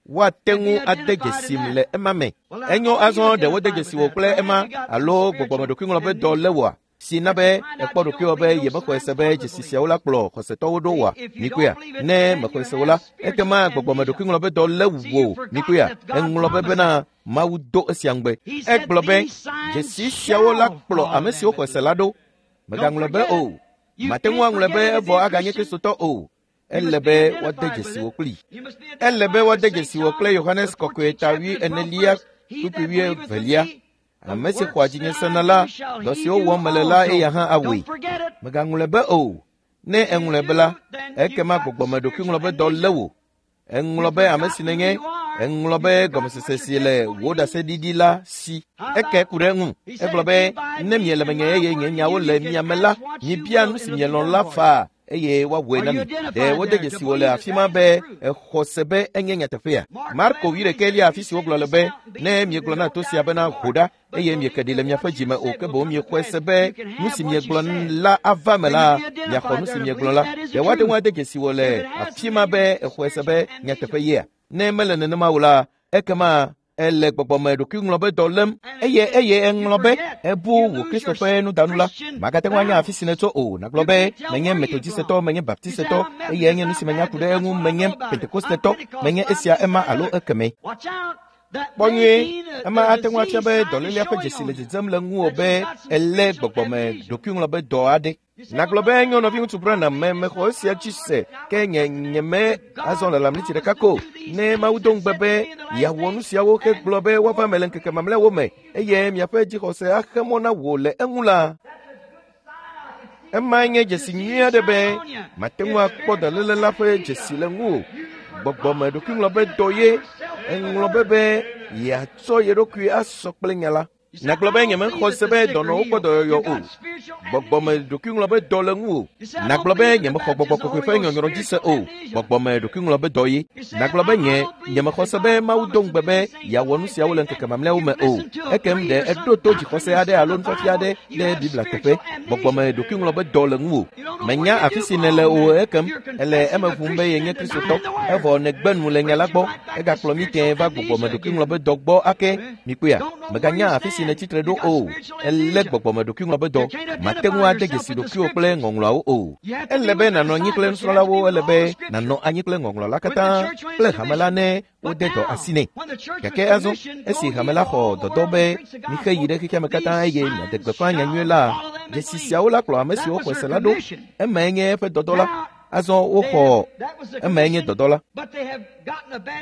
Woate ŋu ade dzesim le ema me. Enyo azɔ ɖe wode dzesi wò kple ema alo gbɔgbɔmeɖokuiŋlɔbedɔ lé wòa? Si na be ekpɔ ɖokuiwò be yemexɔe se be dzesi siawo la kplɔ xɔsetɔwo ɖo wòa? Mikpɔea? Ne mexɔe se o la, ekema gbɔgbɔmeɖokuiŋlɔbedɔ lé wò. Mikpɔea? Eŋlɔ be bena Mawu do esia ŋugbe. Egblɔ be dzesi siawo la kplɔ ame siwo xɔe se la ɖo. Megaŋlɔ be o. Mate ŋu aŋlɔe be evɔ aganye Kristotɔ o. Ele be woade dzesi wò kplii. Ele be woade dzesi wò kple Yohanes Kɔkɔe ta wui enelia kpukpui wuievelia. Ame si xɔa dzinye sena la, dɔ siwo wɔm mele la eya hã awɔe. Megaŋlɔe be o. Ne eŋlɔe be la, ekema gbɔgbɔmeɖokuiŋlɔbedɔ lé wò. Eŋlɔ be ame si nènye, eŋlɔ be gɔmesese si le wò ɖaseɖiɖi la si. Eke ku ɖe eŋu. Egblɔ be ne miele menye eye nye nyawo le mia me la, mibia nu si mielɔ̃ la faa eye woawɔe na mi. Ɖe wode dzesi wò le afi ma be exɔ se be enye nyateƒea? Marko wuiɖekɛlia afi si wogblɔ le be ne miegblɔ na to sia bena ho ɖa eye mieke ɖi le miaƒe dzime o ke boŋ miexɔe se be nu si miegblɔ la ava me la, miaxɔ nu si miegblɔ la. Ɖe woate ŋu ade dzesi wò le afi ma be exɔe se be nyateƒe yea? Ne mele nenema o la, ekema ele gbɔgbɔme ɖokuiŋlɔbedɔ lém eye eye eŋlɔ be ebu wò Kristo ƒe nudanu la. Magate ŋu anya afi si nètso o. Nàgblɔ be menye Metodistetɔ, menye Baptistetɔ, eye enye nu si menya ku ɖe eŋu, menye Pentekostetɔ, menye esia ema alo ekeme. Kpɔ nyuie, ema ate ŋu afia be dɔlélea ƒe dzesi le dzedzem le ŋuwò be elé gbɔgbɔme ɖokuiŋlɔbedɔ aɖe. Nàgblɔ be enyo nɔviŋutsu Branham me mexɔ esia dzi se ke nye nyeme azɔ le lamliti ɖeka ko. Ne Mawu do ŋugbe be yeawɔ nu siawo hegblɔ be woava me le ŋkeke mamlɛawo me eye miaƒe dzixɔse axe mɔ na wò le eŋu la, ema nye dzesi nyui aɖe be mate ŋu akpɔ dɔléle la ƒe dzesi le ŋuwò. Gbɔgbɔme ɖokuiŋlɔbedɔ ye eŋlɔ be be yeatsɔ ye ɖokui asɔ kple nya la. Nàgblɔ be nyemexɔ se be dɔnɔwo kpɔ dɔyɔyɔ o. Gbɔgbɔme ɖokuiŋlɔ be dɔ le ŋuwò. Nàgblɔ be nyemexɔ gbɔgbɔ kɔkɔe ƒe nyɔnyrɔ dzi se o. Gbɔgbɔme ɖokuiŋlɔ be dɔ ye. Nàgblɔ be nye nyemexɔ se be Mawu do ŋugbe be yeawɔ nu siawo le ŋkeke mamlɛawo me o. Ekem ɖe eɖo to dzixɔse aɖe alo nufiafia aɖe ɖe Biblia teƒe. Gbɔgbɔme ɖokuiŋlɔ be dɔ le ŋuwò. Menya afi si nèle o ekem ele eme ʋum be yenye Kristotɔ. Evɔ nègbe nu le nya la gbɔ. Egakplɔ mí tẽe va gbɔgbɔme ɖokuiŋlɔ be dɔ gbɔ ake. Mikpɔea? Mèganya afi si nètsitre ɖo o. Elé gbɔgbɔme ɖokuiŋlɔ be dɔ. Màte ŋu ade dzesi ɖokuiwò kple ŋɔŋlɔawo o. Ele be nànɔ anyi kple nusrɔ̃lawo, ele be nànɔ anyi kple ŋɔŋlɔ la katã kple hame la ne wode dɔ asi nɛ. Gake azɔ esi hame la xɔ dɔdɔ be mixe yi ɖe xexea me katã eye miaɖe gbeƒã nyanyui la, dzesi siawo la kplɔ ame siwo xɔe se la ɖo. Emae nye eƒe dɔdɔ la. Azɔ woxɔ emae nye dɔdɔ la.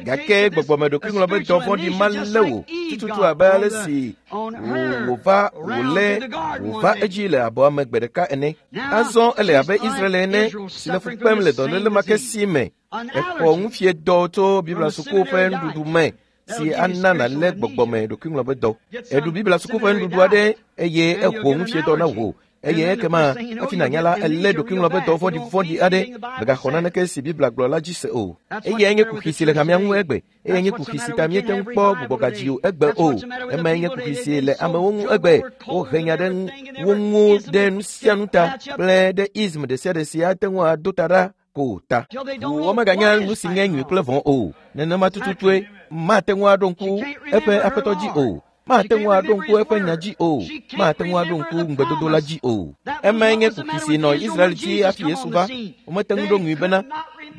Gake gbɔgbɔme ɖokuiŋlɔ be dɔ vɔ̃ɖi ma lé wò tututu abe ale si wòva wòlé wòva edzi le abɔa me gbe ɖeka ene. Azɔ ele abe Israel ene si le fu kpem le dɔléle ma ke si me. Exɔ nufiedɔ tso Biblia suku ƒe nuɖuɖu me si ana nàlé gbɔgbɔme ɖokuiŋlɔ be dɔ. Eɖu Biblia suku ƒe nuɖuɖu aɖe eye exɔ nufiedɔ na wò. Eye ekema hafi nànya la, elé ɖokuiŋlɔ be dɔ vɔ̃ɖivɔ̃ɖi aɖe. Mègaxɔ naneke si Biblia gblɔ la dzi se o. Eyae nye kuxi si le hamea ŋu egbe. Eyae nye kuxi si ta míete ŋu kpɔ gbugbɔgadzi o egbe o. Emae nye kuxi si le amewo ŋu egbe. Wohe nya ɖe wo ŋu ɖe nu sia nu ta kple ɖe ism ɖe sia ɖe si ate ŋu ado ta ɖa ko ta. Womeganya nu si nye nyui kple vɔ̃ o. Nenema tututue mate ŋu aɖo ŋku eƒe aƒetɔ dzi o. Mate ŋu aɖo ŋku eƒe nya dzi o. Mate ŋu aɖo ŋku ŋugbedodo la dzi o. Emae nye kuxi si nɔ Israel dzi hafi Yesu va. Womete ŋu ɖo ŋui bena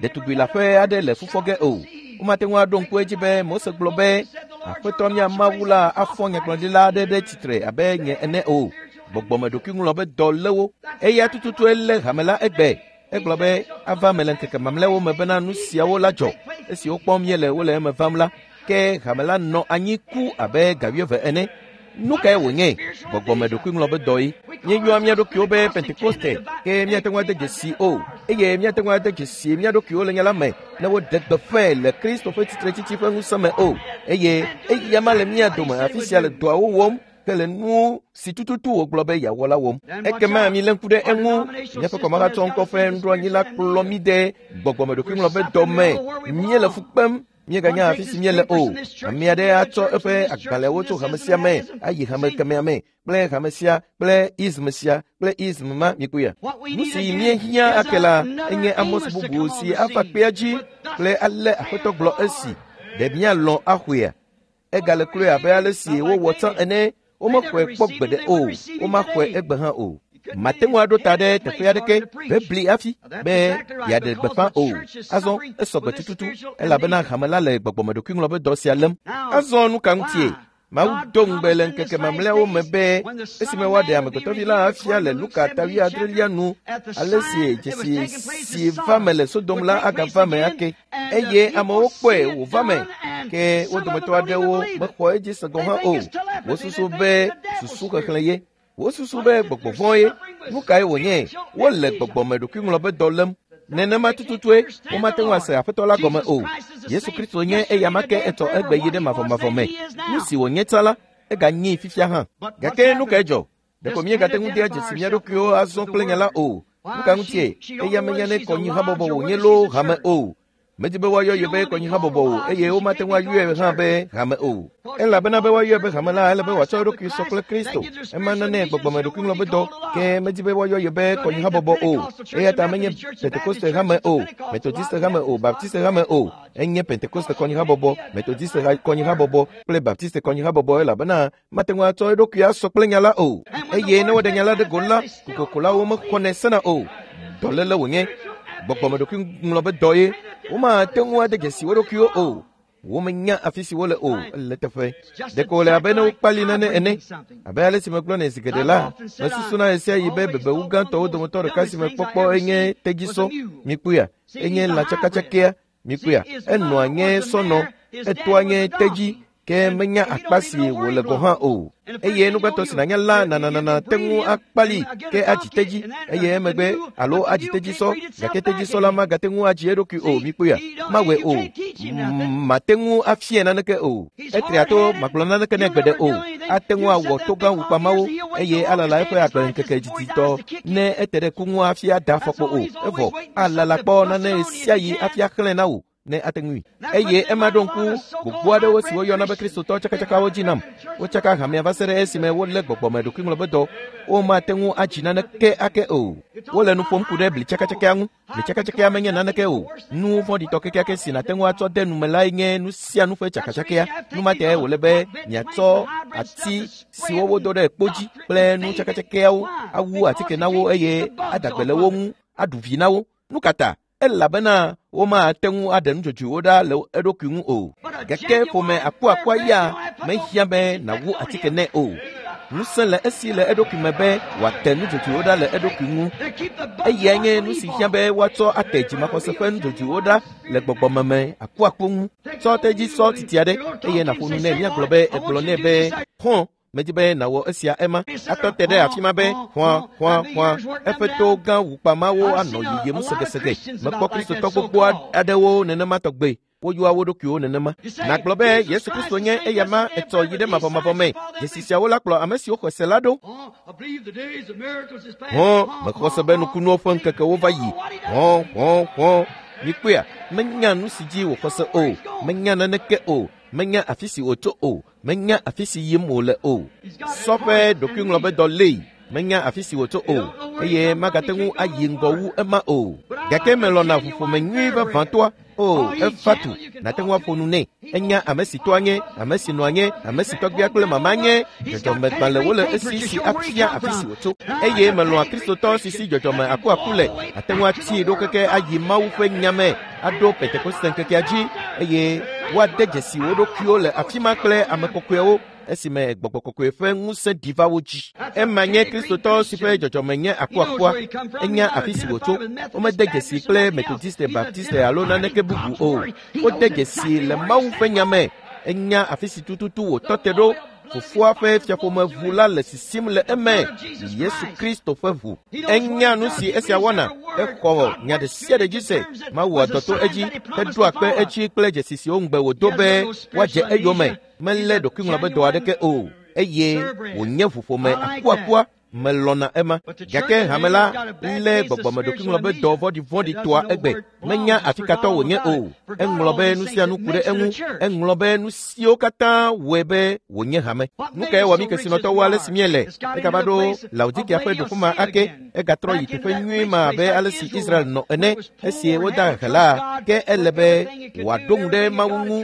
ɖetugbi leaƒe aɖe le fufɔ ge o. Womate ŋu aɖo ŋku edzi be Mose gblɔ be Aƒetɔ mía Mawu la afɔ nyagblɔɖila aɖe ɖe tsitre abe nye ene o. Gbɔgbɔme ɖokuiŋlɔ be dɔ lé wo. Eya tututue lé hame la egbe. Egblɔ be ava me le ŋkeke mamlɛawo me bena nu siawo la dzɔ. Esi wokpɔm míele wole eme vam la, ke hame la nɔ anyi ku abe gawieve ene. Nu kae wònye? Gbɔgbɔme ɖokuiŋlɔ be dɔ ye. Míeyɔa mía ɖokuiwo be Pentekoste, ke míate ŋu ade dzesi o. Eye míate ŋu ade dzesi mía ɖokuiwo le nya la me ne woɖe gbeƒãe le Kristo ƒe tsitretsitsi ƒe ŋusẽ me o. Eye eya ma le mía dome afi sia le dɔawo wɔm ke le nu si tututu wògblɔ be yeawɔ la wɔm. Ekema milé ŋku ɖe eŋu. Míaƒe kɔmahatsɔ ŋkɔ ƒe nuɖoanyi la kplɔ mí de gbɔgbɔme ɖokuiŋlɔ be dɔ me. Míele fu kpem. Míeganya afi si míele o. Ame aɖe atsɔ eƒe agbalẽwo tso hame sia me ayi hame kemɛa me kple hame sia kple ism sia kple ism ma mikpɔea. Nu si míehiã ake la enye Amos bubu si ava kpea dzi kple ale Aƒetɔ gblɔ esi. Ɖe míalɔ̃ axɔea? Egale kloe abe ale si wowɔ tsã ene. Womexɔe kpɔ gbeɖe o. Womaxɔe egbe hã o. Mate ŋu aɖo ta ɖe teƒe aɖeke bebli hafi be yeaɖe gbeƒã o. Azɔ esɔ gbe tututu elabena hame la le gbɔgbɔme ɖokuiŋlɔ be dɔ sia lém. Azɔ nu ka ŋutie? Mawu do ŋugbe le ŋkeke mamlɛawo me be esime woaɖe amegbetɔvi la afia le Luka ta wuiadrelia nu, ale si dzesi si va me le Sodom la agava me ake. Eye amewo kpɔe wòva me, ke wo dometɔ aɖewo mexɔ edzi se gɔ̃ hã o. Wosusu be susu xexlẽ ye. Wosusu be gbɔgbɔ vɔ̃ ye. Nu kae wònye? Wole gbɔgbɔme ɖokuiŋlɔ be dɔ lém. Nenema tututue womate ŋu ase Aƒetɔ la gɔme o. Yesu Kristo nye eya ma ke etɔ egbe yi ɖe mavɔmavɔ me. Nu si wònye tsã la, eganyee fifia hã. Gake nu kae dzɔ? Ɖeko míegate ŋu dea dzesi mía ɖokuiwo azɔ kple nya la o. Nu ka ŋutie? Eya menya ne kɔnyihabɔbɔ wònye loo hame o. Medi be woayɔ ye be kɔnyihabɔbɔ o eye womate ŋu ayɔe hã be hame o. Elabena be woayɔe be hame la, ele be wòatsɔ eɖokui sɔ kple Kristo. Ema nane gbɔgbɔme ɖokuiŋlɔ be dɔ, ke medi be woayɔ ye be kɔnyihabɔbɔ o. Eya ta menye Pentekoste hame o, Metodiste hame o, Baptiste hame o. Enye Pentekoste kɔnyihabɔbɔ, Metodiste kɔnyihabɔbɔ kple Baptiste kɔnyihabɔbɔ elabena mate ŋu atsɔ eɖokui asɔ kple nya la o. Eye ne woɖe nya la ɖe go la, kokokolawo mexɔnɛ sena o. Dɔléle wònye. Gbɔgbɔme ɖokuiŋlɔ be dɔ ye. Womate ŋu ade dzesi wo ɖokuiwo o. Womenya afi si wole o le teƒe. Ɖeko wòle abe ne wokpali nane ene. Abe ale si megblɔnɛ zi geɖe la, mesusuna ɣe sia ɣi be bebewu gãtɔwo dometɔ ɖeka si mekpɔkpɔ enye tedzisɔ. Mikpɔea? Enye lãtsakatsakea. Mikpɔea? Enɔa nye sɔnɔ, etoa nye tedzi Ke menya akpa si wòle gɔ̃ hã o. Eye nugbãtɔ si nànya la nananana te ŋu akpali ke adzi tedzi eye emegbe alo adzi tedzisɔ gake tedzisɔ la magate ŋu adzi eɖokui o mikpɔea mawɔe o mate ŋu afia naneke o etria to magblɔ naneke nɛ gbeɖe o ate ŋu awɔ togã wukpamawo eye alala eƒe agbeŋkeke diditɔ ne ete ɖe ku ŋu hafi ada afɔkpo o evɔ alala kpɔ nane sia yi hafi axlẽ na wò ne ate ŋui eye ema ɖo ŋku gbogbo aɖewo si woyɔna be kristotɔ tsakatsakawo dzi nam wotsaka hamea va se ɖe esime wolé gbɔgbɔme ɖokuiŋlɔbedɔ womate ŋu adzi naneke ake o wole nu ƒom ku ɖe bli tsakatsakea ŋu bli tsakatsakea menye naneke o nu vɔ̃ɖitɔ kekeake si nàte ŋu atsɔ de nume lae nye nu sia nu ƒe tsakatsakea nu ma tae wòle be miatsɔ ati siwo wodo ɖe kpo dzi kple nu tsakatsakɛawo awu atike na wo eye ada gbe le wo ŋu aɖu vi na wo nu ka ta elabena womate ŋu aɖe nudzodzoewo ɖa le eɖokui ŋu o gake ƒome akuakua ya mehiã be nàwu atike nɛ o ŋusẽ le esi le eɖokui me be wòate nudzodzoewo ɖa le eɖokui ŋu eyae nye nu si hiã be woatsɔ ate dzimaxɔse ƒe nudzodzoewo ɖa le gbɔgbɔmeme akuaku ŋu tsɔ tedzi sɔ titi aɖe eye nàƒo nu nɛ míagblɔ be egblɔ nɛ be xɔ̃ medi be nàwɔ esia ema atɔ te ɖe afi ma be xɔa xɔa xɔa eƒe to gã wukpamawo anɔ yiyim segesege mekpɔ kristotɔ gbogbo aɖewo nenema tɔgbe woyɔa wo ɖokuiwo nenema nàgblɔ be yesu kristo nye eyama etsɔ yi ɖe mavɔmavɔ me dzesi siawo la kplɔ ame siwo xɔ se la ɖo hɔn mexɔ se be nukunuwo ƒe ŋkekewo va yi hɔn hɔn hɔn mikpɔea menya nu si dzi wòxɔ se o menya naneke o menya afi si wòtso o menya afi si yim wòle o sɔƒe ɖokuiŋlɔbedɔ lée menya afi si wòtso o eye magate ŋu ayi ŋgɔ wu ema o gake melɔna ʋuƒome nyui vavãtɔa o efa tu nàte ŋu aƒo nu nɛ enya ame si toa nye ame si nɔa nye ame si tɔgbia kple mama nye dzɔdzɔmegbalẽwo le esi si afia afi si wòtso eye melɔ̃a kristotɔ si si dzɔdzɔme akuaku le ate ŋu atii ɖo keke ayi mawu ƒe nyame aɖo pentekoste ŋkekea dzi eye woade dzesi wo ɖokuiwo le afi ma kple ame kɔkɔewo esime gbɔgbɔ kɔkɔe ƒe ŋusẽ ɖi va wo dzi ema nye kristotɔ si ƒe dzɔdzɔme nye akuakua enya afi si wòtso womede dzesi kple metodiste baptiste alo naneke bubu o wode dzesi le mawu ƒe nya me enya afi si tututu wòtɔ te ɖo fofoa ƒe fiaƒome ʋu la le sisim le eme yesu kristo ƒe ʋu enya nu si esia wɔna exɔ nya ɖe sia ɖe dzi se mawu dɔ to edzi heɖoa kpe edzi kple dzesi siwo ŋugbe wòdo be woadze eyome melé ɖokuiŋlɔbedɔ aɖeke o eye wònye ʋuƒome akuakua melɔna ema gake hame la lé gbɔgbɔme ɖokuiŋlɔbedɔ vɔ̃ɖivɔ̃ɖi toa egbe menya afi katɔ wònye o eŋlɔ be nu sia nu ku ɖe eŋu eŋlɔ be nu siwo katã wɔe be wònye hame nu kae wɔ mí kesinɔtɔwo ale si míele egava ɖo laodikia ƒe ɖoƒe ma ake egatrɔ yi teƒe nyui ma abe ale si israel nɔ ene esi woda hehe la ke ele be wòaɖo ŋu ɖe mawu ŋu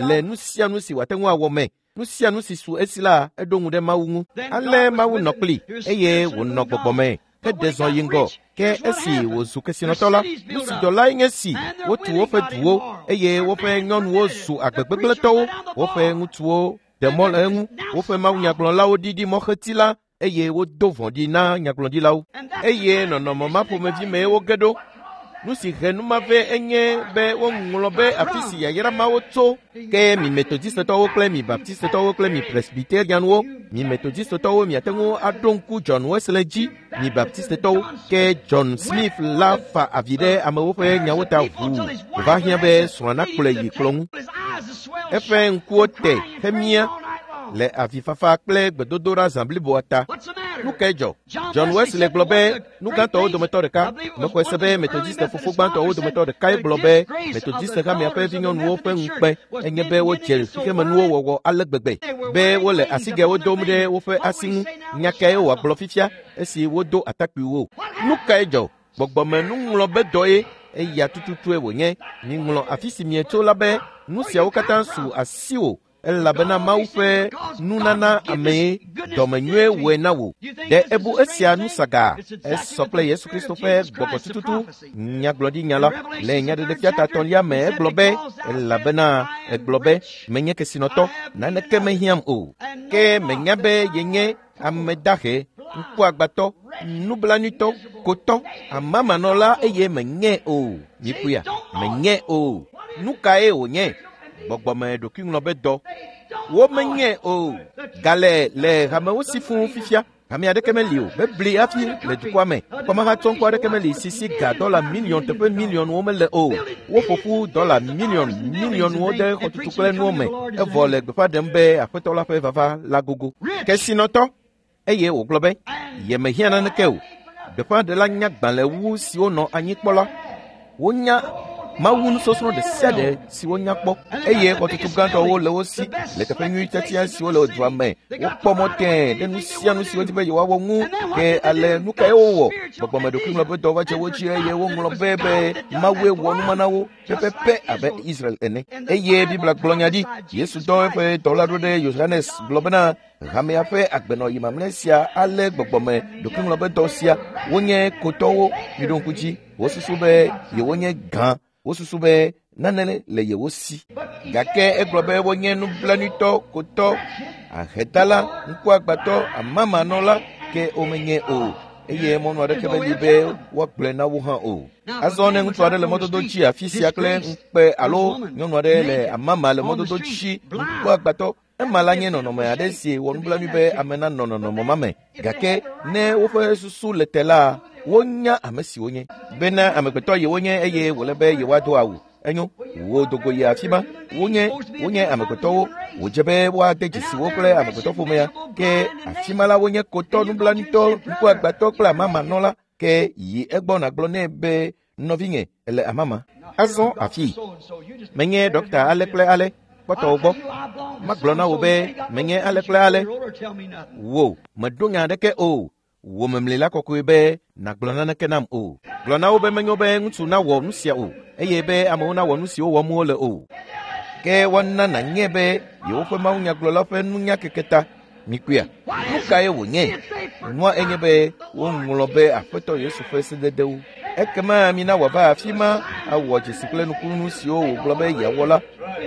le nu sia nu si wòate ŋu awɔ me nu sia nu si su esi la eɖo ŋu ɖe mawu ŋu ale mawu nɔ kpli eye wònɔ gbɔgbɔ me heɖe zɔ yi ŋgɔ ke esi wòzu kesinɔtɔ la nu si dzɔ lae nye si wotu woƒe duwo eye woƒe nyɔnuwo zu agbegbegblẽtɔwo woƒe ŋutsuwo ɖe mɔ le eŋu woƒe mawunyagblɔlawo ɖiɖi mɔxeti la eye wodo vɔ̃ɖi na nyagblɔɖilawo eye nɔnɔme ma ƒomevi mee woge ɖo nu si he nu ma vɛ enye be woŋlɔ be afi si yayra mawo tso ke mi metodistetɔwo kple mi baptistetɔwo kple mi presbyterianwo mi metodistetɔwo miate ŋu aɖo ŋku John Wesley dzi mi baptistetɔwo ke John Smith la fa avi ɖe amewo ƒe nyawo ta ʋuu wòva hiã be srɔ̃a nakplɔe yi kplɔ ŋu eƒe ŋkuwo te hemia le avifafa kple gbedodoɖa zã bliboa ta nu kae dzɔ John Wesley gblɔ be nu gãtɔwo dometɔ ɖeka mexɔe se be metodiste fofo gbãtɔwo dometɔ ɖekae gblɔ be metodiste hamea ƒe vinyɔnuwo ƒe ŋukpe enye be wodze xexemenuwo wɔwɔ ale gbegbe be wole asigɛwo dom ɖe woƒe asi ŋu nya kae wòagblɔ fifia esi wodo atakpuiwo nu kae dzɔ gbɔgbɔme nuŋlɔbedɔe eya tututue wònye miŋlɔ afi si mietso la be nu siawo katã su asiwò elabena mawu ƒe nunana amee dɔmenyuie wɔe na wò ɖe ebu esia nu saga esɔ kple yesu kristo ƒe gbɔgbɔ tututu nyagblɔɖinya la le nyaɖeɖefia tatɔlia me egblɔ be elabena egblɔ be menye kesinɔtɔ naneke mehiãm o ke menya be yenye ame dahe ŋkuagbatɔ nublanuitɔ kotɔ amamanɔla eye menye o mikpɔea menye o nu kae wònye gbɔgbɔme ɖokuiŋlɔbedɔ Womenye o. Gale le hamewo si fũu fifia. Hame aɖeke meli o. Mebli hafi le dukɔa me. Kɔmahatsɔŋkɔ aɖeke meli si si ga dɔla miliɔn teƒe miliɔnwo mele o. Woƒo ƒu dɔla miliɔn miliɔnwo ɖe xɔtutu kple nuwo me. Evɔ le gbeƒã ɖem be aƒetɔ la ƒe vava la gogo. Kesinɔtɔ eye wògblɔ be yemehiã naneke o. Gbeƒãɖela nya gbalẽwu siwo nɔ anyi kpɔ la. Wonya Mawu nusɔsrɔ̃ ɖe sia ɖe si wonya kpɔ eye xɔtutu gãtɔwo le wo si le teƒe nyui tiatia siwo le dua me. Wokpɔ mɔ tẽe ɖe nu sia nu si wodi be yewoawɔ ŋu. Ke ale nu kae wowɔ? Gbɔgbɔmeɖokuiŋlɔ ƒe dɔ va dze wo dzi eye woŋlɔ be be Mawue wɔ numa na wo pɛpɛpɛ abe Israel ene. Eye Biblia gblɔ nya ɖi. Yesu dɔ eƒe dɔla ɖo ɖe Yohanes gblɔ bena hamea ƒe agbenɔyi mamlɛ sia alé gbɔgbɔme ɖokuiŋlɔ ƒe dɔ sia. Wonye kotɔwo, miɖo ŋku dzi. Wosusu be yewonye gã. Wosusu be nane le yewo si. Gake egblɔ be wonye nublanuitɔ, kotɔ, ahedala, ŋkuagbãtɔ, amamanɔla, ke womenye o. Eye mɔnu aɖeke meli be woagblɔe na wo hã o. Azɔ ne ŋutsu aɖe le mɔdodo dzi afi sia kple ŋukpe alo nyɔnu aɖe le amama le mɔdodo dzi ŋkuagbãtɔ, ema la nye nɔnɔme aɖe si wɔ nublanui be ame nanɔ nɔnɔme ma me. Gake ne woƒe susu le te la, wonya ame si wonye bena amegbetɔ yewonye eye wòle be yewoado awu. Enyo, wo dogo yi afi ma. Wonye wonye amegbetɔwo. Wòdze be woade dzesi wo kple amegbetɔ ƒomea. Ke afi ma la wonye kotɔ, nublanuitɔ, ŋkuagbãtɔ kple amamanɔla. Ke yi egbɔ nàgblɔ nɛ be nɔvinye ele amama. Azɔ afi menye ɖɔkta ale kple ale. Kpɔtɔwo gbɔ. Magblɔ na wò be menye ale kple ale. Wò meɖo nya aɖeke o. Wò memli la kɔkɔe be nàgblɔ naneke nam o. Gblɔ na wo be menyo be ŋutsu nawɔ nu sia o eye be amewo nawɔ nu siwo wɔm wole o. Ke woana nànye be yewoƒe mawunyagblɔla ƒe nunya keke ta. Mikpɔea, nu kae wònye? Nua enye be woŋlɔ be Aƒetɔ Yesu ƒe sededewo. Ekema mina wòava afi ma awɔ dzesi kple nukunu siwo wògblɔ be yeawɔ la.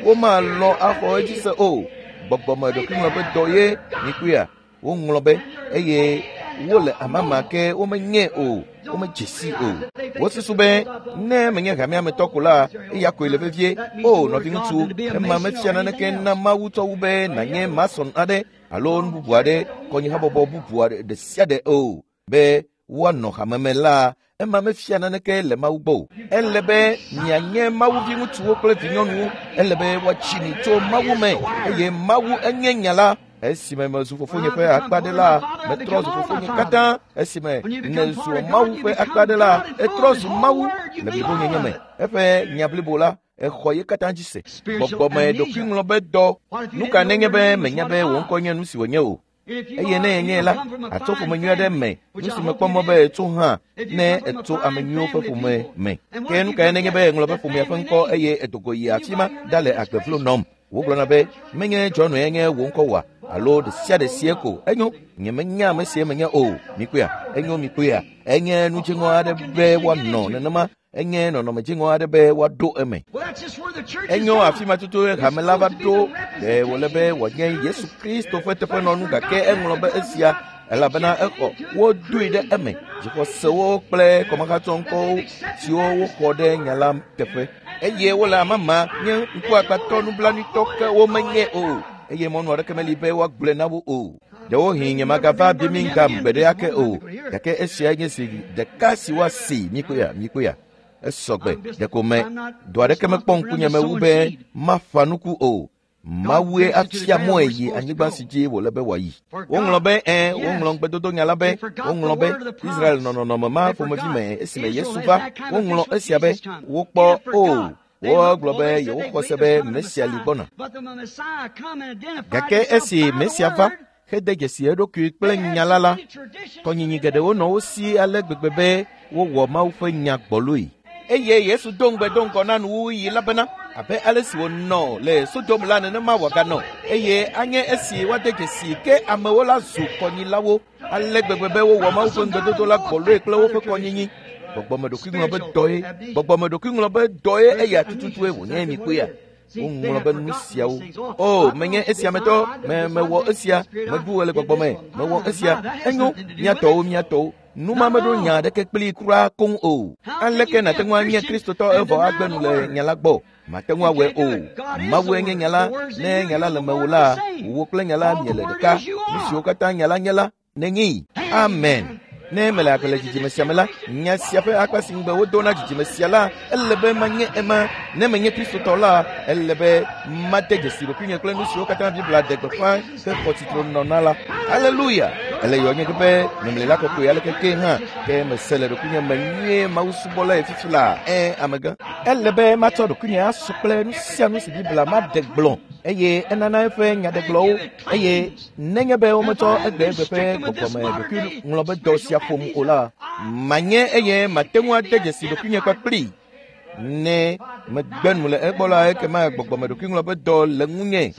Womalɔ̃ axɔ edzi se o. Gbɔgbɔme ɖokuiŋlɔ ƒe dɔ ye mikpɔea. Woŋlɔ be eye wole amama ke womenye o, womedze si o. Wosusu be ne menye hamea me tɔ ko la, eya koe le vevie. O nɔviŋutsu, ema mefia naneke na Mawu tsɔ wu be nànye mason aɖe alo nu bubu aɖe, kɔnyihabɔbɔ bubu aɖe ɖe sia ɖe o. Be woanɔ hame me la, ema mefia naneke le Mawu gbɔ o. Ele be mianye Mawu viŋutsuwo kple vinyɔnuwo. Ele be woatsi mi tso Mawu me eye Mawu enye nya la. Esime mezu fofonye ƒe akpa ɖe la, metrɔ zu fofonye katã. Esime nèzu Mawu ƒe akpa ɖe la, etrɔ zu Mawu le blibonyenye me. Eƒe nya blibo la, exɔ ye katã dzi se. Gbɔgbɔme ɖokuiŋlɔ be dɔ. Nu ka nenye be menya be wò ŋkɔ nye nu si wònye o? Eye ne enye la, atso ƒome nyui aɖe me, nu si mekpɔ mɔ be etso hã ne etso ame nyuiwo ƒe ƒome me. Ke nu kae nenye be eŋlɔ be ƒomea ƒe ŋkɔ eye edogo yi afi ma ɖale agbe vlo nɔm? Wogblɔna be menye John nye wò ŋkɔ oa alo ɖe sia ɖe sie ko. Enyo, nyemenya ame sie menye o. Mikpɔea, enyo mikpɔea, enye nu dziŋɔ aɖe be woanɔ nenema. Enye nɔnɔme dziŋɔ aɖe be woaɖo eme. Enyo afi ma tutu hame la va ɖo. Ɖe wòle be wòanye Yesu Kristo ƒe teƒenɔnu gake eŋlɔ be esia elabena exɔ wodoe ɖe eme. Dzixɔsewo kple kɔmahatsɔŋkɔwo siwo woxɔ ɖe nya la teƒe. Eye wole amama nye ŋkuagbãtɔ nublanuitɔ ke womenye o. Eye mɔnu aɖeke meli be woagblɔe na wo o. Ɖewohĩ nyemagava Birmingham gbe ɖe ake o. Gake esia nye zi ɖeka si woasi mikpɔea mikpɔea. Esɔgbe ɖeko me dɔ aɖeke mekpɔ ŋkunye me wu be maƒã nuku o. Mawue afia mɔe yi anyigba si dzi wòle be wòayi. Woŋlɔ be ẽ, woŋlɔ ŋugbedodonya la be, woŋlɔ be Israel nɔ nɔnɔme ma ƒomevi me esime Yesu va. Woŋlɔ esia be wokpɔ o. Wogblɔ be yewoxɔ se be Mesia li gbɔna. Gake esi Mesia va hede dzesi eɖokui kple nya la la, kɔnyinyi geɖewo nɔ wo si ale gbegbe be wowɔ Mawu ƒe nya gbɔloe. Eye Yesu do ŋugbe do ŋgɔ na nuwuɣi la bena abe ale si wònɔ le Sodom la nenema wòaganɔ eye anye esi woade dzesi ke amewo la zu kɔnyilawo ale gbegbe be wowɔ Mawu ƒe ŋugbedodo la gbɔloe kple woƒe kɔnyinyi. Gbɔgbɔme ɖokuiŋlɔ be dɔe, gbɔgbɔme ɖokuiŋlɔ be dɔe eya tututue wònye mikpɔea. Woŋlɔ be nu siawo. O, menye esia metɔ, me mewɔ esia, meɖu le gbɔgbɔme, mewɔ esia. Enyo, míatɔwo, míatɔwo. Nu ma meɖo nya aɖeke kpli kura koŋ o. Aleke nàte ŋu anye Kristotɔ evɔ agbe nu le nya la gbɔ? Mate ŋu awɔe o. Mawue nye nya la. Ne nya la le mewò la, wò kple nya la miele ɖeka. Nu siwo katã nya la nye la, nenyee. Amen. Ne mele agbe le dzidzime sia me la, nya sia ƒe akpa si ŋugbe wodo na dzidzime sia la, ele be manye ema. Ne menye Kristotɔ la, ele be made dzesi ɖokuinye kple nu siwo katã Biblia ɖe gbeƒã hexɔ tsitre nɔ la. Aleluya! Ele yɔ nye be memlila kɔkɔe aleke ke hã, ke mese le ɖokuinye me nyuie Mawu subɔla fifi la. Ẽ, amegã. Ele be matsɔ ɖokuinye asɔ kple nu sia nu si Biblia maɖe gblɔ eye enana eƒe nyaɖegblɔwo eye nenye be wometsɔ egbe egbe ƒe gbɔgbɔme ɖokuiŋlɔ be dɔ sia ƒom o la, manye eye mate ŋu ade dzesi ɖokuinye kpakpli. Ne megbe nu le egbɔ la, ekema gbɔgbɔme ɖokuiŋlɔ be dɔ le ŋunye.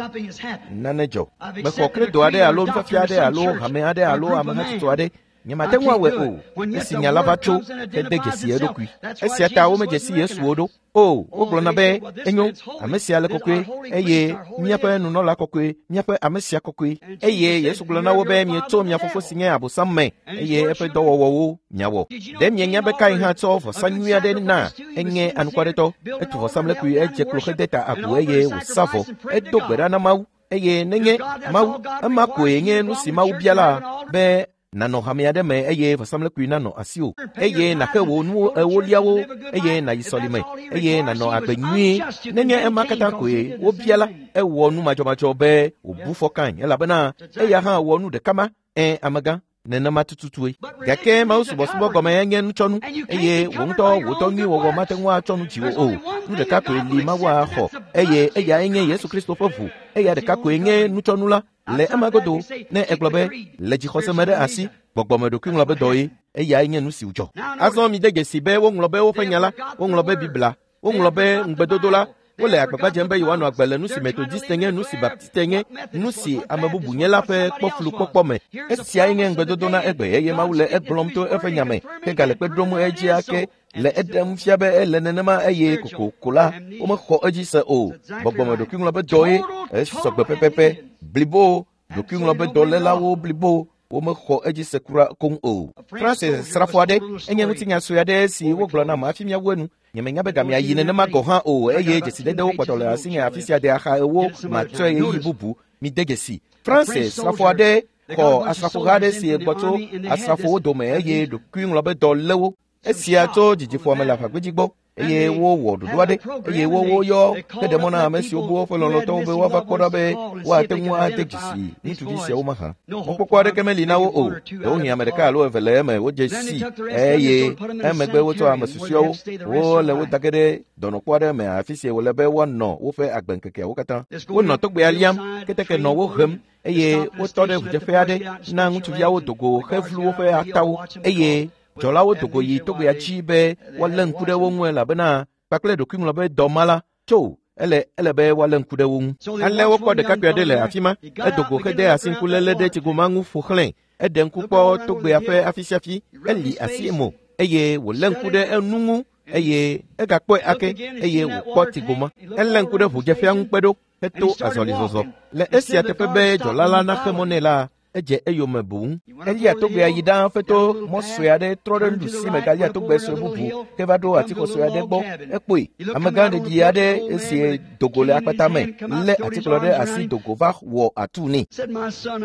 Nane dzɔ. Mexɔ kredo aɖe alo nufiafia aɖe alo hame aɖe alo amehatsotso aɖe. Nye mate ŋu awɔe o. Esi nya la va tso hede dzesi eɖokui. Esia ta womedze si Yesu o ɖo. O, wogblɔna be enyo, ame sia le kɔkɔe eye míaƒe nunɔla kɔkɔe, míaƒe ame sia kɔkɔe. Eye Yesu gblɔ na wo be mietso mia fofo si nye Abosam me eye eƒe dɔwɔwɔwo miawɔ. Ɖe mienya be Kain hã tsɔ vɔsa nyui aɖe na enye anukwaretɔ. Etu vɔsamlekpui, edze klo hede ta agu eye wòsa vɔ. Edo gbe ɖa na Mawu eye nenye Mawu, ema koe nye nu si Mawu bia la be nanɔ hame aɖe me eye vɔsamlekpui nanɔ asiwò eye nàxe wò nuwo ewoliawo eye nàyi sɔlime eye nànɔ agbe nyuie. Nenye ema katã koe wobia la, ewɔ nu madzɔmadzɔ be wòbu fɔ Kain elabena eya hã wɔ nu ɖeka ma. Ẽ, amegã, nenema tututue. Gake Mawu subɔsubɔ gɔme enye nutsɔnu eye wò ŋutɔ wò dɔ nyui wɔwɔ mate ŋu atsɔ nu dziwò o. Nu ɖeka koe li Mawu axɔ eye eyae nye Yesu Kristo ƒe ʋu. Eya ɖeka koe nye nutsɔnu la. Le ema godo, ne egblɔ be le dzixɔse me ɖe asi, gbɔgbɔme ɖokuiŋlɔ be dɔ ye, eyae nye nu si wòdzɔ. Azɔ mide dzesi be woŋlɔ be woƒe nya la, woŋlɔ be Biblia, woŋlɔ be ŋugbedodo la. Wole agbagba dzem be yewoanɔ agbe le nu si Metodiste nye, nu si Baptiste nye, nu si ame bubu nye la ƒe kpɔflukpɔkpɔ me. Esiae nye ŋugbedodo na egbe eye Mawu le egblɔm to eƒe nya me hegale kpe ɖom edzi ake le eɖem fia be ele nenema eye kokoko la womexɔ edzi se o. Gbɔgbɔme ɖokuiŋlɔ be dɔ ye esɔgbe pɛpɛpɛ blibo. Ɖokuiŋlɔ be dɔlélawo blibo womexɔ edzi se kura koŋ o. Francis srafo aɖe enye ŋutinya sue aɖe si wogblɔ nam hafi míawu enu. Nyemenya be gamea yi nenema gɔ̃ hã o eye dzesidedewo kpɔtɔ le asinye afi sia de axa ewo matsɔe ɣeyiɣi bubu. Mide dzesi. Francis srafo aɖe xɔ asrafoha aɖe si gbɔ tso asrafowo dome eye ɖokuiŋlɔ be dɔ lé wo. Esia tso dzidziƒoame le aʋagbedzi gbɔ eye wowɔ ɖoɖo aɖe eye woyɔ heɖe mɔ na ame siwo bu woƒe lɔlɔ̃tɔwo be woava kpɔ ɖa be woate ŋu ade dzesi ŋutsuvi siawo mahã. Mɔkpɔkpɔ aɖeke meli na wo o. Ɖewohĩ ame ɖeka alo eve le eme wodze si eye emegbe wotsɔ ame susɔeawo wole wo da ge ɖe dɔnɔkpɔ aɖe me afi si wòle be woanɔ woƒe agbeŋkekeawo katã. Wonɔ togbea liam, keteke nɔ wo hem eye wotɔ ɖe ʋudzeƒe aɖe na ŋutsuviawo dogo hevlu woƒe atawo eye dzɔlawo dogo yi togbea dzi be woalé ŋku ɖe wo ŋu elabena kpakple ɖokuiŋlɔ be dɔ ma la tso ele ele be woalé ŋku ɖe wo ŋu. Ale wokpɔ ɖekakpui aɖe le afi ma, edogo hede asi ŋkuléle ɖe tsigoma ŋu ƒo xlãe. Eɖe ŋku kpɔ togbea ƒe afi sia afi, eli asi mo eye wòlé ŋku ɖe enu ŋu eye egakpɔe ake eye wòkpɔ tsigoma. Elé ŋku ɖe ʋudzeƒea ŋu kpe ɖo heto azɔlizɔzɔ. Le esia teƒe be dzɔla la naxe mɔ nɛ la, edze eyome boŋ. Elia togbea yi ɖaa feto mɔ sue aɖe trɔ ɖe nuɖusi me galia togbe sue bubu ke va ɖo atixɔ sue aɖe gbɔ. Ekpɔe amegã ɖeɖi aɖe esi dogo le akpata me lé atikplɔ ɖe asi dogo va wɔ atu nɛ.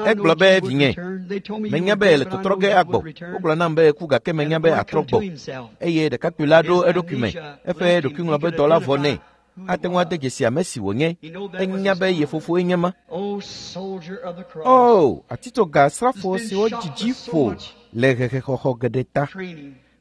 Egblɔ be vinye, menya be le tɔtrɔ ge agbɔ. Wogblɔ nam be ku gake menya be atrɔ gbɔ. Eye ɖekakpui la ɖo eɖokui me. Eƒe ɖokuiŋlɔ be dɔ la vɔ nɛ. Ate ŋu ade dzesi ame si wònye. Enya be ye fofoe nye ma. O, atitsoga srafo siwo dzidzi ƒo le hehexɔxɔ geɖe ta.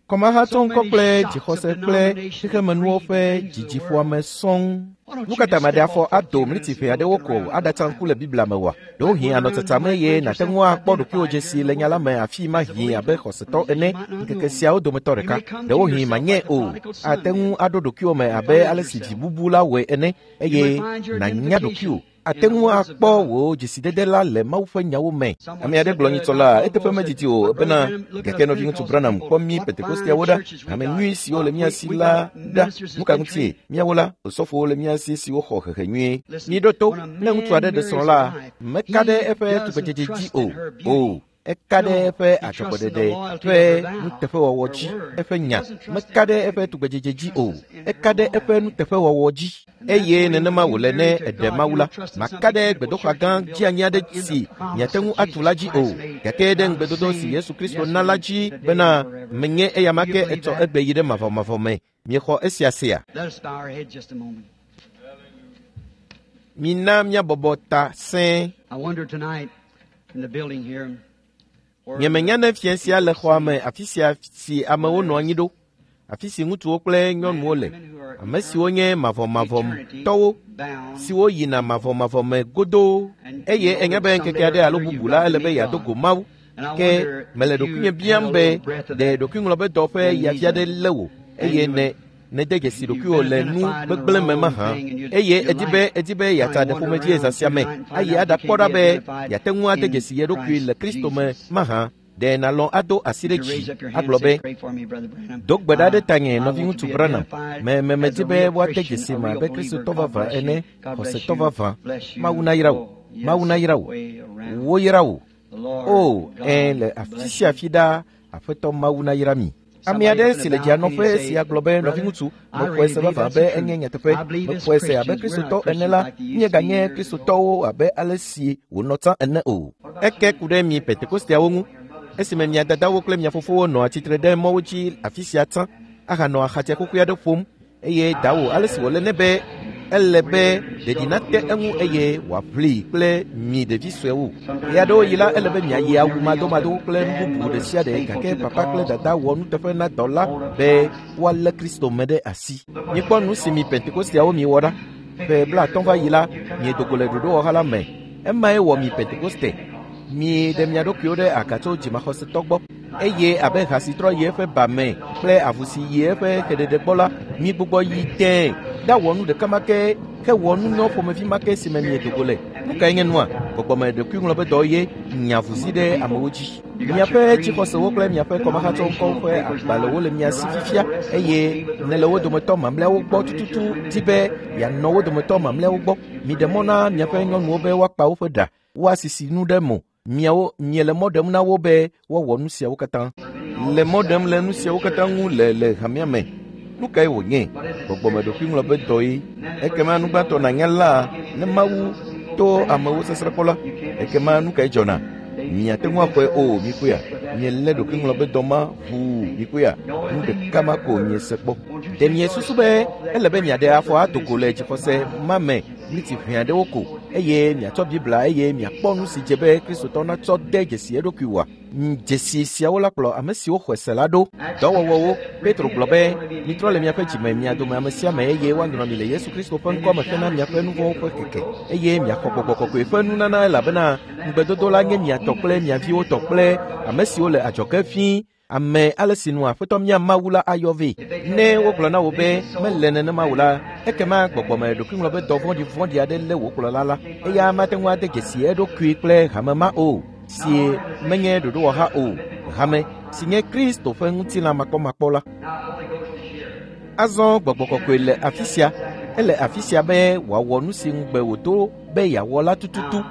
Kɔmahatsɔŋkɔ kple dzixɔse kple xexemenuwo ƒe dzidziƒoame sɔŋ. Nu ka ta maɖe afɔ ado mliti ʋɛ aɖewo ko aɖatsa ŋku le Biblia me oa? Ɖewohĩ anɔ tsatsam eye nàte ŋu akpɔ ɖokuiwò dzesi le nya la me afi ma hĩ abe xɔsetɔ ene ŋkeke siawo dometɔ ɖeka. Ɖewohĩ manye o. Ate ŋu aɖo ɖokuiwò me abe ale si vi bubu la wɔe ene eye nànya ɖokuiwò. Ate ŋu akpɔ wò dzesidede la le Mawu ƒe nyawo me. Ame aɖe gblɔ nyitsɔ la, eteƒe medidi o bena gake nɔviŋutsu Branham kpɔ mí Pentekosteawo ɖa, hame nyui siwo le mía si la ɖa. Nu ka ŋutie? Míawo la, osɔfowo le mía si siwo xɔ hehe nyuie. Míɖo to, ne ŋutsu aɖe ɖe srɔ̃ la, meka ɖe eƒe tugbedzedze dzi o. O, Eka ɖe eƒe adzɔgbeɖeɖe ƒe nuteƒewɔwɔ dzi, eƒe nya. Meka ɖe eƒe tugbedzedze dzi o. Eka ɖe eƒe nuteƒewɔwɔ dzi. Eye nenema wòle ne eɖe Mawu la. Maka ɖe gbedoxɔ gã dzeanyi aɖe si miate ŋu atu la dzi o. Gake ɖe ŋugbedodo si Yesu Kristo na la dzi bena menye eyama ke etsɔ egbe yi ɖe mavɔmavɔ me. Miexɔ esia sea? Mina míabɔbɔ ta sẽe. Nyemenya ne fiẽ sia le xɔa me afi sia si amewo nɔ anyi ɖo, afi si ŋutsuwo kple nyɔnuwo le, ame siwo nye mavɔmavɔtɔwo, siwo yina mavɔmavɔ me godoo, eye enya be ŋkeke aɖe alo bubu la ele be yeado go Mawu. Ke mele ɖokuinye biam be ɖe ɖokuiŋlɔbedɔ ƒe yafia ɖe lé wò eye ne nede dzesi ɖokuiwò le nu gbegblẽ me mahã eye edi be edi be yeatsa ɖe ƒomevie zã sia me ayi aɖakpɔ ɖa be yeate ŋu ade dzesi ye ɖokui le Kristo me mahã. Ɖe nàlɔ̃ ado asi ɖe dzi agblɔ be, do gbe ɖa ɖe tanye nɔviŋutsu Branham, me me medi be woade dzesi me abe Kristotɔ vavã ene, xɔsetɔ vavã. Mawu nayra wò, Mawu nayra wò, woyra wò. O, ɛ̃, le afi sia afi ɖaa, Aƒetɔ Mawu nayra mi. Ame aɖe si le dzianɔƒe sia gblɔ be, nɔviŋutsu, mexɔe se vavã be enye nyateƒe. Mexɔe se abe Kristotɔ ene la, míeganye Kristotɔwo abe ale si wònɔ tsã ene o. Eke ku ɖe mi Pentekosteawo ŋu. Esime mia dadawo kple mia fofowo nɔ atsitre ɖe mɔwo dzi afi sia tsã ahanɔ axatsɛ xoxoe aɖe ƒom eye dawò ale si wòle nɛ be ele be ɖeɖi nate eŋu eye wòaʋli kple mi ɖevi suewo. Ɣe aɖewo yi la ele be miayi awu madomado kple nu bubu ɖe sia ɖe gake papa kple dada wɔ nuteƒe na dɔ la be woalé Kristo me ɖe asi. Mikpɔ nu si mi Pentekosteawo miwɔ ɖa. Ƒe blaatɔ̃ va yi la, miedo go le ɖoɖowɔha la me. Emae wɔ mi Pentekoste. Mi ɖe mia ɖokuiwo ɖe aga tso dzimaxɔsetɔ gbɔ eye abe ha si trɔ yi eƒe ba me kple avu si yi eƒe xeɖeɖe gbɔ la, mi gbugbɔ yi tẽe ɖawɔ nu ɖeka ma ke hewɔ nu nyɔ ƒomevi ma ke si me miedo go le. Nu kae nye nua? Gbɔgbɔme ɖokuiŋlɔbedɔ ye nya vuzi ɖe amewo dzi. Miaƒe dzixɔsewo kple miaƒe kɔmahatsɔŋkɔwo ƒe agbalẽwo le mia si fifia eye nèle wo dometɔ mamlɛawo gbɔ tututu di be yeanɔ wo dometɔ mamlɛawo gbɔ. Miɖe mɔ na miaƒe nyɔnuwo be woakpa woƒe ɖa, woasisi nu ɖe mo. Miawo miele mɔ ɖem na wo be woawɔ nu siawo katã. Le mɔ ɖem le nu siawo katã ŋu le le hamea me. Nu kae wònye? Gbɔgbɔme ɖokuiŋlɔbedɔ ye. Ekema nu gbãtɔ nànya la, ne Mawu to amewo sasrãkpɔ la, ekema nu kae dzɔna? Miate ŋu axɔe o, mikpɔea? Mielé ɖokuiŋlɔbedɔ ma ʋuu, mikpɔea? Nu ɖeka ma ko miese kpɔ. Ɖe miesusu be ele be miaɖe afɔ ado go le dzixɔse ma me ɣleti ʋɛ aɖewo ko eye miatsɔ Biblia eye miakpɔ nu si dze be Kristotɔ natsɔ de dzesi eɖokui wòa? Dzesi siawo la kplɔ ame siwo xɔe se la ɖo. Dɔwɔwɔwo. Petro gblɔ be, mitrɔ le miaƒe dzime mia dome ame sia ame eye woanyrɔ mi le Yesu Kristo ƒe ŋkɔ me hena miaƒe nu vɔ̃wo ƒe keke eye miaxɔ gbɔgbɔ kɔkɔe ƒe nunana elabena ŋugbedodo la nye mia tɔ kple mia viwo tɔ kple ame siwo le adzɔge ʋĩi. Ame ale si nu Aƒetɔ mía Mawu la ayɔ vɛ. Ne wogblɔ na wò be mele nenema o la, ekema gbɔgbɔme ɖokuiŋlɔbedɔ vɔ̃ɖivɔ̃ɖi aɖe lé wò kplɔla la. Eya mate ŋu ade dzesi eɖokui kple hame ma o, si menye ɖoɖowɔha o, hame si nye Kristo ƒe ŋutilã makpɔmakpɔ la. Azɔ gbɔgbɔ kɔkɔe le afi sia. Ele afi sia be wòawɔ nu si ŋugbe wòdo be yeawɔ la tututu.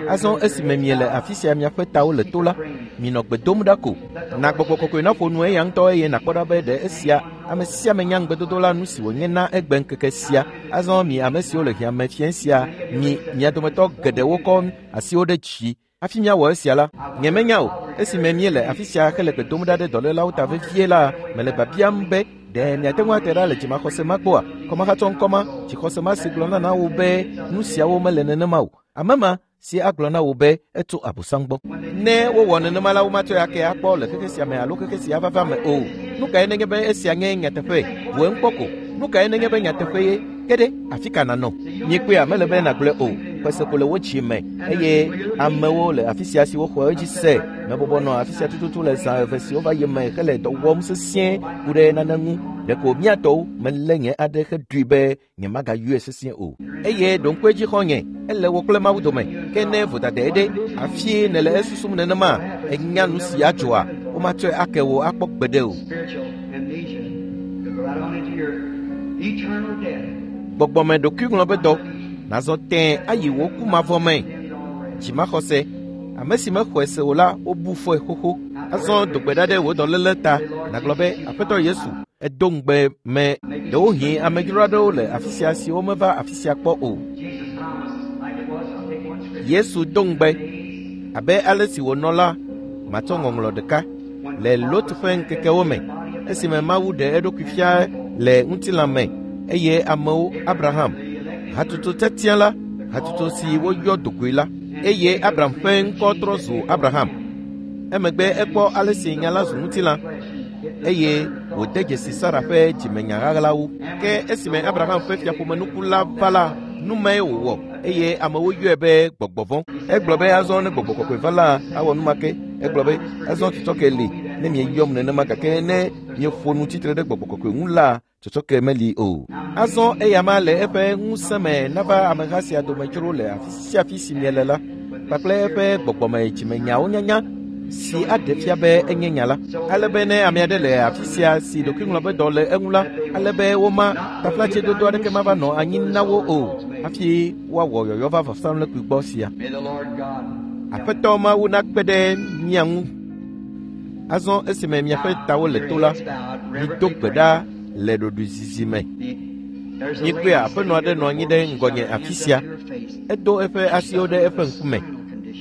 Azɔ esime miele afi sia miaƒe tawo le to la, minɔ gbe dom ɖa ko. Na gbɔgbɔ kɔkɔe naƒo nu eya ŋutɔ eye nàkpɔ ɖa be ɖe esia ame sia ame nya ŋugbedodo la nu si wònye na egbe ŋkeke sia. Azɔ mi ame siwo le hiãme fiẽ sia, mi mia dometɔ geɖewo kɔ asiwo ɖe dzi. Hafi míawɔ esia la, nyemenya o. Esime míele afi sia hele gbe dom ɖa ɖe dɔlélawo ta vevie la, mele biabiam be ɖe miate ŋu ate ɖa le dzimaxɔse ma gbɔa? Kɔmahatsɔŋkɔ ma, dzixɔse ma si gblɔna na wò be nu siawo mele nenema o. Ame ma si agblɔ na wò be etso Abosam gbɔ. Ne wowɔ nenema la, womatsɔe ake akpɔ le xexe sia me alo xexe sia vava me o. Nu kae nenye be esia nye nyateƒe? Bu eŋu kpɔ ko. Nu kae nenye be nyateƒe ye? Ke ɖe afi ka nànɔ? Miekpɔea, mele be nàgblɔe o. Xɔse ko le wo dzi me eye amewo le afi sia siwo xɔ edzi se. Mebɔbɔ nɔ afi sia tututu le zã eve siwo va yi me hele dɔ wɔm sesĩe ku ɖe nane ŋu. Ɖeko míatɔwo melé nye aɖe heɖoe be nyemagayɔe sesĩe o. Eye ɖo ŋku edzi xɔ̃nye, ele wò kple Mawu dome. Ke ne vodadae ɖe, afie nèle esusum nenema, enya nu si adzɔa, womatsɔe ake wò akpɔ gbeɖe o. Gbɔgbɔme ɖokuiŋlɔbedɔ, nàzɔ tẽe ayi wò ku mavɔ me. Dzimaxɔse, Ame si mexɔe se o la, wobu fɔe xoxo. Azɔ do gbe ɖa ɖe wò dɔléle ta, nàgblɔ be, Aƒetɔ Yesu, edo ŋugbe me. Ɖewohĩ amedzro aɖewo le afi sia siwo meva afi sia kpɔ o. Yesu do ŋugbe abe ale si wònɔ la, matsɔ ŋɔŋlɔ ɖeka le Lot ƒe ŋkekewo me, esime Mawu ɖe eɖokui fia le ŋutilã me eye amewo Abraham, hatutu tiatia la, hatutu si woyɔ dogoe la, eye Abraham ƒe ŋkɔ trɔ zu Abraham. Emegbe ekpɔ ale si nya la zu ŋutilã eye wòde dzesi Sara ƒe dzimenya ɣaɣlawo. Ke esime Abraham ƒe fiaƒomenuku la va la, nu mae wòwɔ eye amewo yɔe be gbɔgbɔ vɔ̃. Egblɔ be azɔ ne gbɔgbɔ kɔkɔe va la, awɔ nu ma ke. Egblɔ be azɔ tsɔtsɔke li ne mieyɔm nenema gake ne mieƒo nu tsitre ɖe gbɔgbɔ kɔkɔe ŋu la, tsɔtsɔke meli o. Azɔ eya ma le eƒe ŋusẽ me nava ameha sia dome dzro le afi sia afi si miele la, kpakple eƒe gbɔgbɔme dzimenyawo nyanya si aɖe fia be enye nya la. Ale be ne ame aɖe le afi sia si ɖokuiŋlɔbedɔ le eŋu la, ale be woma taflatsedodo aɖeke mava nɔ anyi na wo o hafi woawɔ yɔyɔ va vɔsamlekpui gbɔ sia. Aƒetɔ Mawu nakpe ɖe mia ŋu. Azɔ esime miaƒe tawo le to la, mido gbe ɖa le ɖoɖoezizi me. Mikpɔe aƒenɔ aɖe nɔ anyi ɖe ŋgɔnye afi sia. Edo eƒe asiwo ɖe eƒe ŋkume.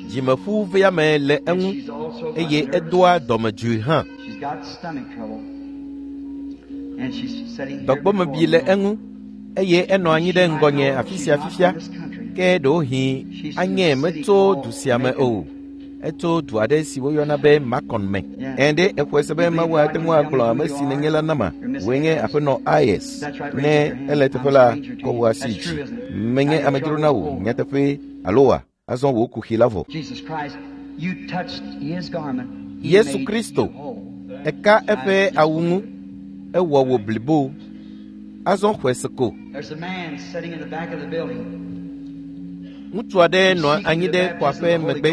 Dzimeƒu veame le eŋu eye edoa dɔmedzoe hã. Dɔgbɔmebi le eŋu eye enɔ anyi ɖe ŋgɔnye afi sia fifia. Ke ɖewohĩ anye metso du sia me o. Etso du aɖe si woyɔna be Macon me. Ẽ ɖe exɔe se be Mawu ate ŋu agblɔ ame si nenye la nama. Wòe nye aƒenɔ Ayes. Ne ele teƒe la, kɔ wò asi dzi. Menye amedzro na wò nyateƒe alo wa? Azɔ wò kuxi la vɔ. Yesu Kristo, eka eƒe awu ŋu, ewɔ wò blibo. Azɔ xɔe se ko. Ŋutsu aɖe nɔ anyi ɖe xɔa ƒe megbe.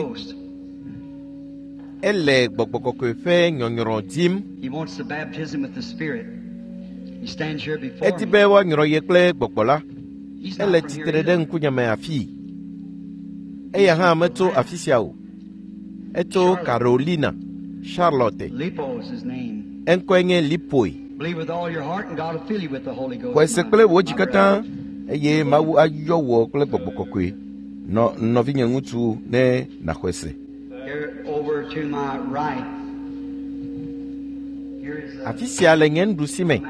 Ele gbɔgbɔ kɔkɔe ƒe nyɔnyrɔ dim. Edi be woanyrɔ ye kple gbɔgbɔ la. Ele tsitre ɖe ŋkunyeme afii. Eya hã metso afi sia o. Etso Carolina, Charlotte. Eŋkɔe nye Lipoe. Xɔe se kple wò dzi katã eye Mawu ayɔ wò kple gbɔgbɔ kɔkɔe. Nɔ nɔvinye ŋutsu ne nàxɔe se. Afi sia le nye nuɖusi me,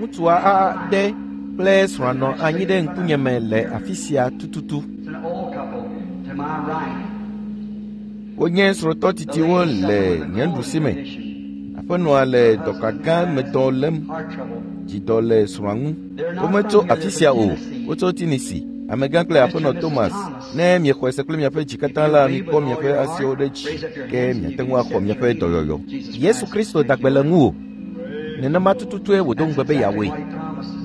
ŋutsua aɖe kple srɔ̃a nɔ anyi ɖe ŋkunyeme le afi sia tututu. Wonye srɔ̃tɔ titiwo le nye nuɖusi me. Aƒenɔa le dɔka gã me dɔ lém. Dzidɔ le srɔ̃a ŋu. Wometso afi sia o, wotso Tennessee. Amegã kple aƒenɔ Thomas, ne miexɔe se kple miaƒe dzi katã la, mikpɔ miaƒe asiwo ɖe dzi, ke miate ŋu axɔ miaƒe dɔyɔyɔ. Yesu Kristo da gbe le ŋuwò. Nenema tututue wòdo ŋugbe be yeawɔe.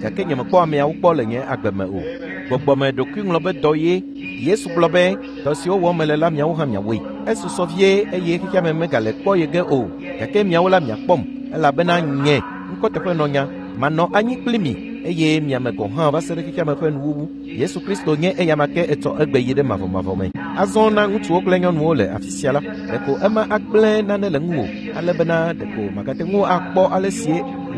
Gake nyemekpɔ ameawo kpɔ le nye agbe me o. Gbɔgbɔme ɖokuiŋlɔbedɔ ye. Yesu gblɔ be, dɔ siwo wɔm mele la miawo hã miawɔe. Esusɔ vie eye xexeame megale kpɔ ye ge o. Gake miawo la miakpɔm, elabena nye ŋkɔteƒenɔnya manɔ anyi kpli mi eye miame gɔ̃ hã va se ɖe xexeame ƒe nuwuwu. Yesu Kristo nye eyama ke etsɔ egbe yi ɖe mavɔmavɔ me. Azɔ na ŋutsuwo kple nyɔnuwo le afi sia la, ɖeko ema agblẽ nane le ŋuwò, ale bena ɖeko magate ŋu akpɔ ale si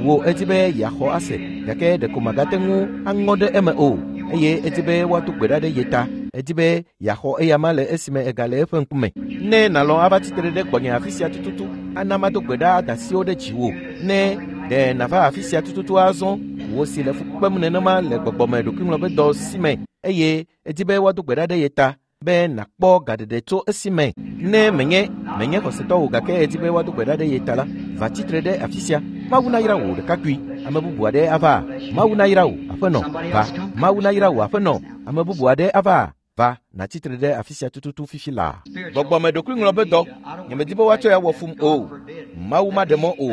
wò edi be yeaxɔ ase, gake ɖeko magate ŋu aŋɔ ɖe eme o, eye edi be woado gbe ɖa ɖe ye ta. Edi be yeaxɔ eyama le esime egale eƒe ŋkume. Ne nàlɔ̃ ava tsitre ɖe gbɔnye afi sia tututu, ana mado gbe ɖa ada asiwo ɖe dziwò. Ne ɖe nàva afi sia tututu azɔ, wò si le fu kpem nenema le gbɔgbɔme ɖokuiŋlɔbedɔ si me eye edi be woado gbe ɖa ɖe ye ta be nàkpɔ gaɖeɖe tso esime. Ne menye menye xɔsetɔ o gake edi be woado gbe ɖa ɖe ye ta la, va tsitre ɖe afi sia. Mawu nayra wò ɖekakpui. Ame bubu aɖe ava. Mawu nayra wò aƒenɔ. Va. Mawu nayra wò aƒenɔ. Ame bubu aɖe ava. Va nàtsitre ɖe afi sia tututu fifi laa. Gbɔgbɔme ɖokuiŋlɔbedɔ. Nyemedi be woatsɔe awɔ fum o. Mawu maɖe mɔ o.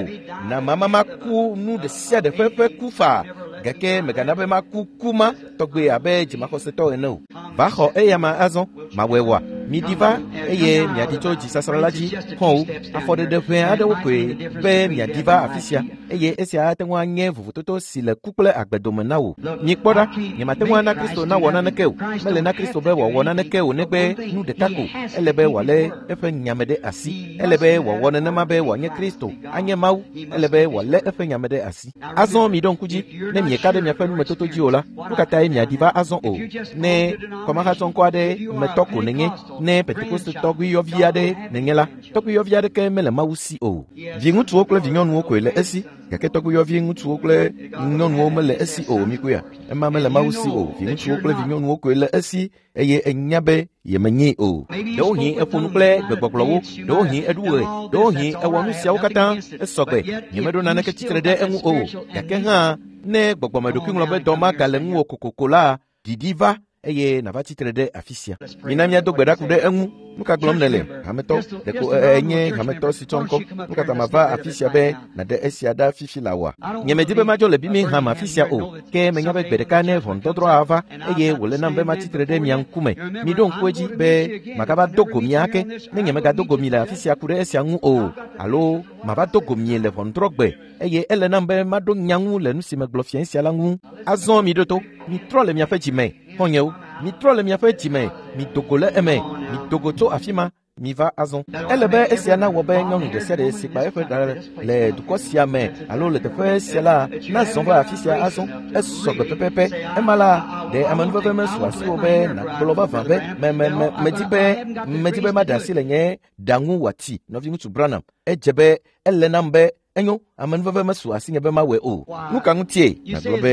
Na mama maku nu ɖe sia ɖe ƒe ƒe ku faa, gake mègana be maku ku ma tɔgbe abe dzimaxɔsetɔ ene o. Va xɔ eyama azɔ, mawɔe wɔa? Miɖi va eye miaɖi tso dzisasra la dzi xɔwo afɔɖeɖe ʋɛ aɖewo koe be miaɖi va afi sia eye esia ate ŋu anye vovototo si le ku kple agbe dome na wò. Mikpɔ ɖa, nyemate ŋu ana Kristo nawɔ naneke o. Mele na Kristo be wòawɔ naneke o negbe nu ɖeka ko. Ele be wòalé eƒe nyame ɖe asi. Ele be wòawɔ nenema be wòanye Kristo, anye Mawu. Ele be wòalé eƒe nyame ɖe asi. Azɔ miɖo ŋku dzi, ne mieka ɖe miaƒe numetoto dzi o la, nu ka tae miaɖi va azɔ o? Ne kɔmahatsɔŋkɔ aɖe metɔ ko nenye, ne Pentekoste tɔgbuiyɔvi aɖe nenye la, tɔgbuiyɔvi aɖeke mele Mawu si o. Viŋutsuwo kple vinyɔnuwo koe le esi, gake tɔgbuiyɔvi ŋutsuwo kple nyɔnuwo mele esi o. Mikoya, ema mele Mawu si o. Viŋutsuwo kple vinyɔnuwo koe le esi eye enya be yemenyee o. Ɖewohĩ eƒo nu kple gbegbɔgblɔwo, ɖewohĩ eɖu ɣe, ɖewohĩ ewɔ nu siawo katã esɔgbe. Nyemeɖo naneke tsitre ɖe eŋu o. Gake hã ne gbɔgbɔmeɖokuiŋlɔbe magale ŋuwò kokoko la, ɖiɖi va eye nava tsitre ɖe afi sia. Mina míado gbe ɖa ku ɖe eŋu. Nu ka gblɔm nèle, hametɔ? Ɖeko enye hametɔ si tsɔ ŋkɔ. Nu ka ta mava afi sia be nàɖe esia ɖa fifi la oa? Nyemedi be madzo le Birmingham afi sia o, ke menya be gbe ɖeka ne ʋɔnudɔdrɔ̃ ava eye wòle nam be matsitre ɖe mia ŋkume. Miɖo ŋku edzi be magava do go mi ake ne nyemegado go mi le afi sia ku ɖe esia ŋu o, alo mava do go mi le ʋɔnudrɔ̃gbe eye ele nam be maɖo nya ŋu le nu si megblɔ fia sia la ŋu. Azɔ miɖo to, mitrɔ le miaƒe dzime, xɔ̃nyewo. Mitrɔ le miaƒe dzime, mido go le eme, mido go tso afi ma, miva azɔ. Ele be esia nawɔ be nyɔnu ɖe sia ɖe si kpa eƒe ɖa le dukɔ sia me alo le teƒe sia la nazɔ va afi sia azɔ. Esɔgbe pɛpɛpɛ. Ema la, ɖe amenuveve mesu asiwò be nàgblɔ vavã be me me me medi be medi be maɖe asi le nye ɖa ŋu wòati. Nɔviŋutsu Branham, edze be ele nam be enyo, amenuveve mesu asinye be mawɔe o. Nu ka ŋutie nàgblɔ be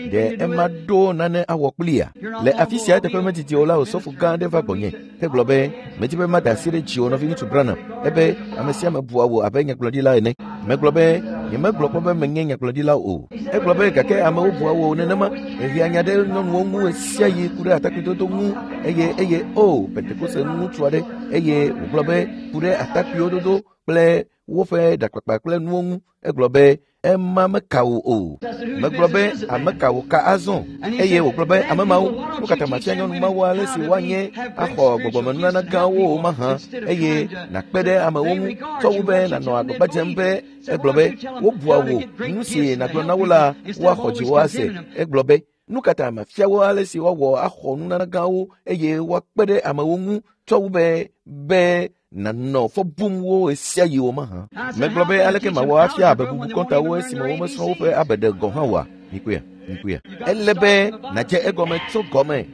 ɖe ema ɖo nane awɔ kplia? Le afi sia eteƒe medidi o la, osɔfo gã aɖe va gbɔnye hegblɔ be medi be maɖe asi ɖe dziwò nɔviŋutsu Branham, ebe ame sia ame bua wò abe nyagblɔɖila ene. Megblɔ be nyemegblɔ kpɔ be menye nyagblɔɖila o. Egblɔ be gake amewo bua wò nenema. Ehea nya ɖe nyɔnuwo ŋu ɣe sia ɣi ku ɖe atakpuidodo ŋu eye eye o Pentekoste ŋutsu aɖe eye wògblɔ be ku ɖe atakpuiwo dodo kple woƒe ɖakpakpa kple nuwo ŋu. Egblɔ be ema meka wò o. Megblɔ be ame ka wò ka azɔ? Eye wògblɔ be ame mawo, nu ka ta mafia nyɔnu mawo ale si woanye axɔ gbɔgbɔmenunana gãwo o mahã eye nàkpe ɖe amewo ŋu tsɔ wu be nànɔ agbagba dzem be egblɔ be wobua wò nu si nàgblɔ na wo la woaxɔ dziwò ase. Egblɔ be nu ka ta mafia wo ale si woawɔ axɔ nunana gãwo eye woakpe ɖe amewo ŋu tsɔ wu be be nànɔ fɔ bum wo ɣe sia ɣi o mahã. Megblɔ be aleke mawɔ afia abebubu kɔntawo esime womesrɔ̃ woƒe abeɖe gɔ̃ hã oa? Mikoya, mikoya. Ele be nàdze egɔme tso gɔme,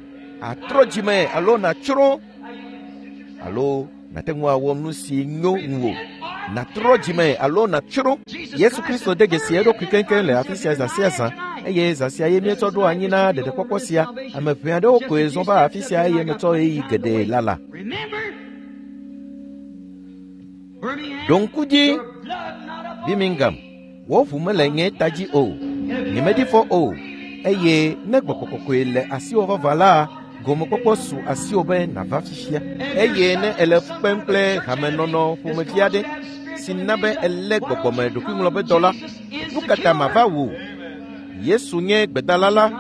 atrɔ dzime alo nàtsrɔ̃ alo nàte ŋu awɔ nu si nyo ŋuwò. Nàtrɔ dzime alo nàtsrɔ̃. Yesu Kristo de dzesi eɖokui keŋkeŋ le afi sia zã sia zã eye zã sia ye míetsɔ ɖo anyi na ɖeɖekpɔkpɔ sia. Ame ʋɛ aɖewo koe zɔ va afi sia eye metsɔ ɣeyiɣi geɖe lala. Ɖo ŋku dzi, Birmingham, wò ʋu mele nye ta dzi o, nyemedi fɔ o, eye ne gbɔgbɔ kɔkɔe le asiwò vavã la, gomekpɔkpɔ su asiwò be nàva fifia. Eye ne èle fu kpem kple hamenɔnɔ ƒomevi aɖe si na be èlé gbɔgbɔme ɖokuiŋlɔbedɔ la, nu ka ta mava wò? Yesu nye gbedala la,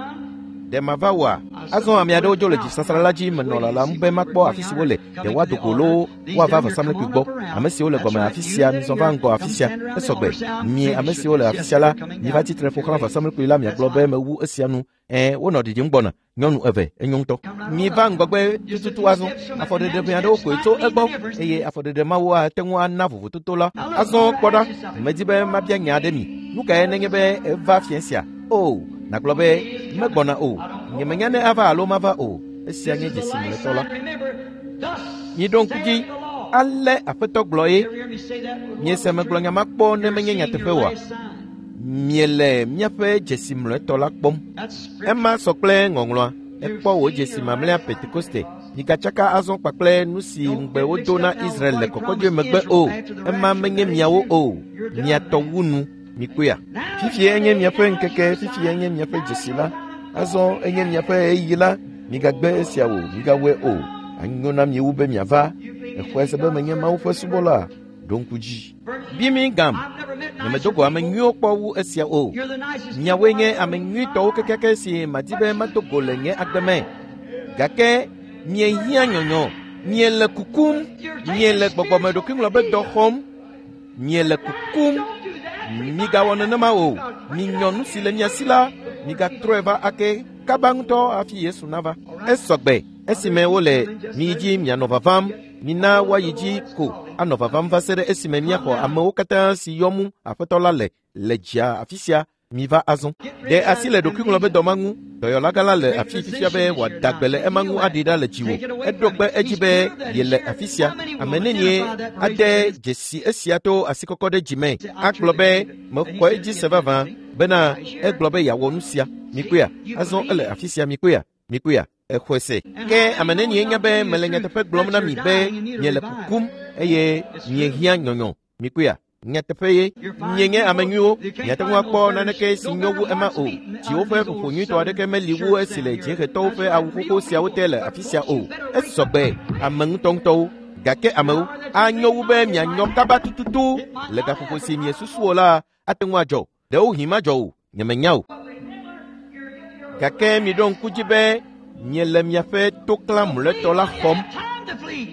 ɖe mava wòa? Azɔ ame aɖewo dzo le dzisasra la dzi menɔ lalam be makpɔ afi si wole, ɖe woado go loo woava vɔsamlekpui gbɔ. Ame siwo le gɔme afi sia, mizɔ va ŋgɔ afi sia, esɔgbe. Mi ame siwo le afi sia la, miva tsitre ƒo xlã vɔsamlekpui la miagblɔ be mewu esia nu. Ɛ̃, wonɔ ɖiɖim gbɔna. Nyɔnu eve, enyo ŋutɔ. Miva ŋgɔgbe tututu azɔ. Afɔɖeɖe ʋɛ aɖewo koe tso egbɔ eye afɔɖeɖe mawo ate ŋu ana vovototo la. Azɔ kpɔ ɖa, medi be mabia nya aɖe mi. Nu kae nenye be eva fiẽ sia? O, nàgblɔ be megbɔna o. Nyemenya ne ava alo mava o. Esia nye dzesi mlɔetɔ la. Miɖo ŋku dzi, ale Aƒetɔ gblɔ ye. Miese megblɔ nya ma kpɔ ne menye nyateƒe oa? Miele míaƒe dzesi mlɔetɔ la kpɔm. Ema sɔ kple ŋɔŋlɔa. Ekpɔ wò dzesi mamlɛa Pentekoste. Migatsaka azɔ kpakple nu si ŋugbe wodo na Israel le kɔkɔdzoe megbe o. Ema menye miawo o. Mia tɔ wu nu. Mikpɔea? Fifia enye miaƒe ŋkeke, fifia enye miaƒe dzesi la. Azɔ enye miaƒe ɣeyiɣi la. Migagbe esia o, migawɔe o. Anyo na mi wu be miava. Exɔe se be menye Mawu ƒe subɔla. Ɖo ŋku dzi. Birmingham, nyemedo go ame nyuiwo kpɔ wu esia o. Miawoe nye ame nyuitɔwo kekeake si madi be mado go le nye agbe me. Gake miehiã nyɔnyɔ. Miele kukum, miele gbɔgbɔmeɖokuiŋlɔ be dɔ xɔm, miele kukum. Migawɔ nenema o. Minyɔ nu si le mia si la, migatrɔe va ake kaba ŋutɔ hafi Yesu nava. Esɔgbe esime wole miyi dzi mianɔ vavam, mina woayi dzi ko anɔ vavam va se ɖe esime míaxɔ amewo katã si yɔm Aƒetɔ la le le dzia afi sia. Miva azɔ. Ɖe asi le ɖokuiŋlɔ be dɔ ma ŋu. Dɔyɔlagã la le afi fifia be wòada gbe le ema ŋu aɖi ɖa le dziwò. Eɖo kpe edzi be yele afi sia. Ame nenie ade dzesi esia to asikɔkɔ ɖe dzime agblɔ be mexɔ edzi se vavã bena egblɔ be yeawɔ nu sia. Mikpɔea? Azɔ ele afi sia. Mikpɔea? Mikpɔea? Exɔe se. Ke ame nenie nya be mele nyateƒe gblɔm na mi be miele kukum eye miehiã nyɔnyɔ. Mikpɔea? Nyateƒe ye. Mienye ame nyuiwo. Miate ŋu akpɔ naneke si nyo wu ema o. Dziwo ƒe ƒoƒo nyuitɔ aɖeke meli wu esi le dziehetɔwo ƒe awu xoxo siawo te le afi sia o. Esɔgbe ame ŋutɔŋutɔwo. Gake amewo anyo wu be mianyɔ kaba tututu le gaƒoƒo si miesusu o la ate ŋu adzɔ. Ɖewohĩ madzɔ o. Nyemenya o. Gake miɖo ŋku dzi be miele miaƒe toklã mlɔetɔ la xɔm.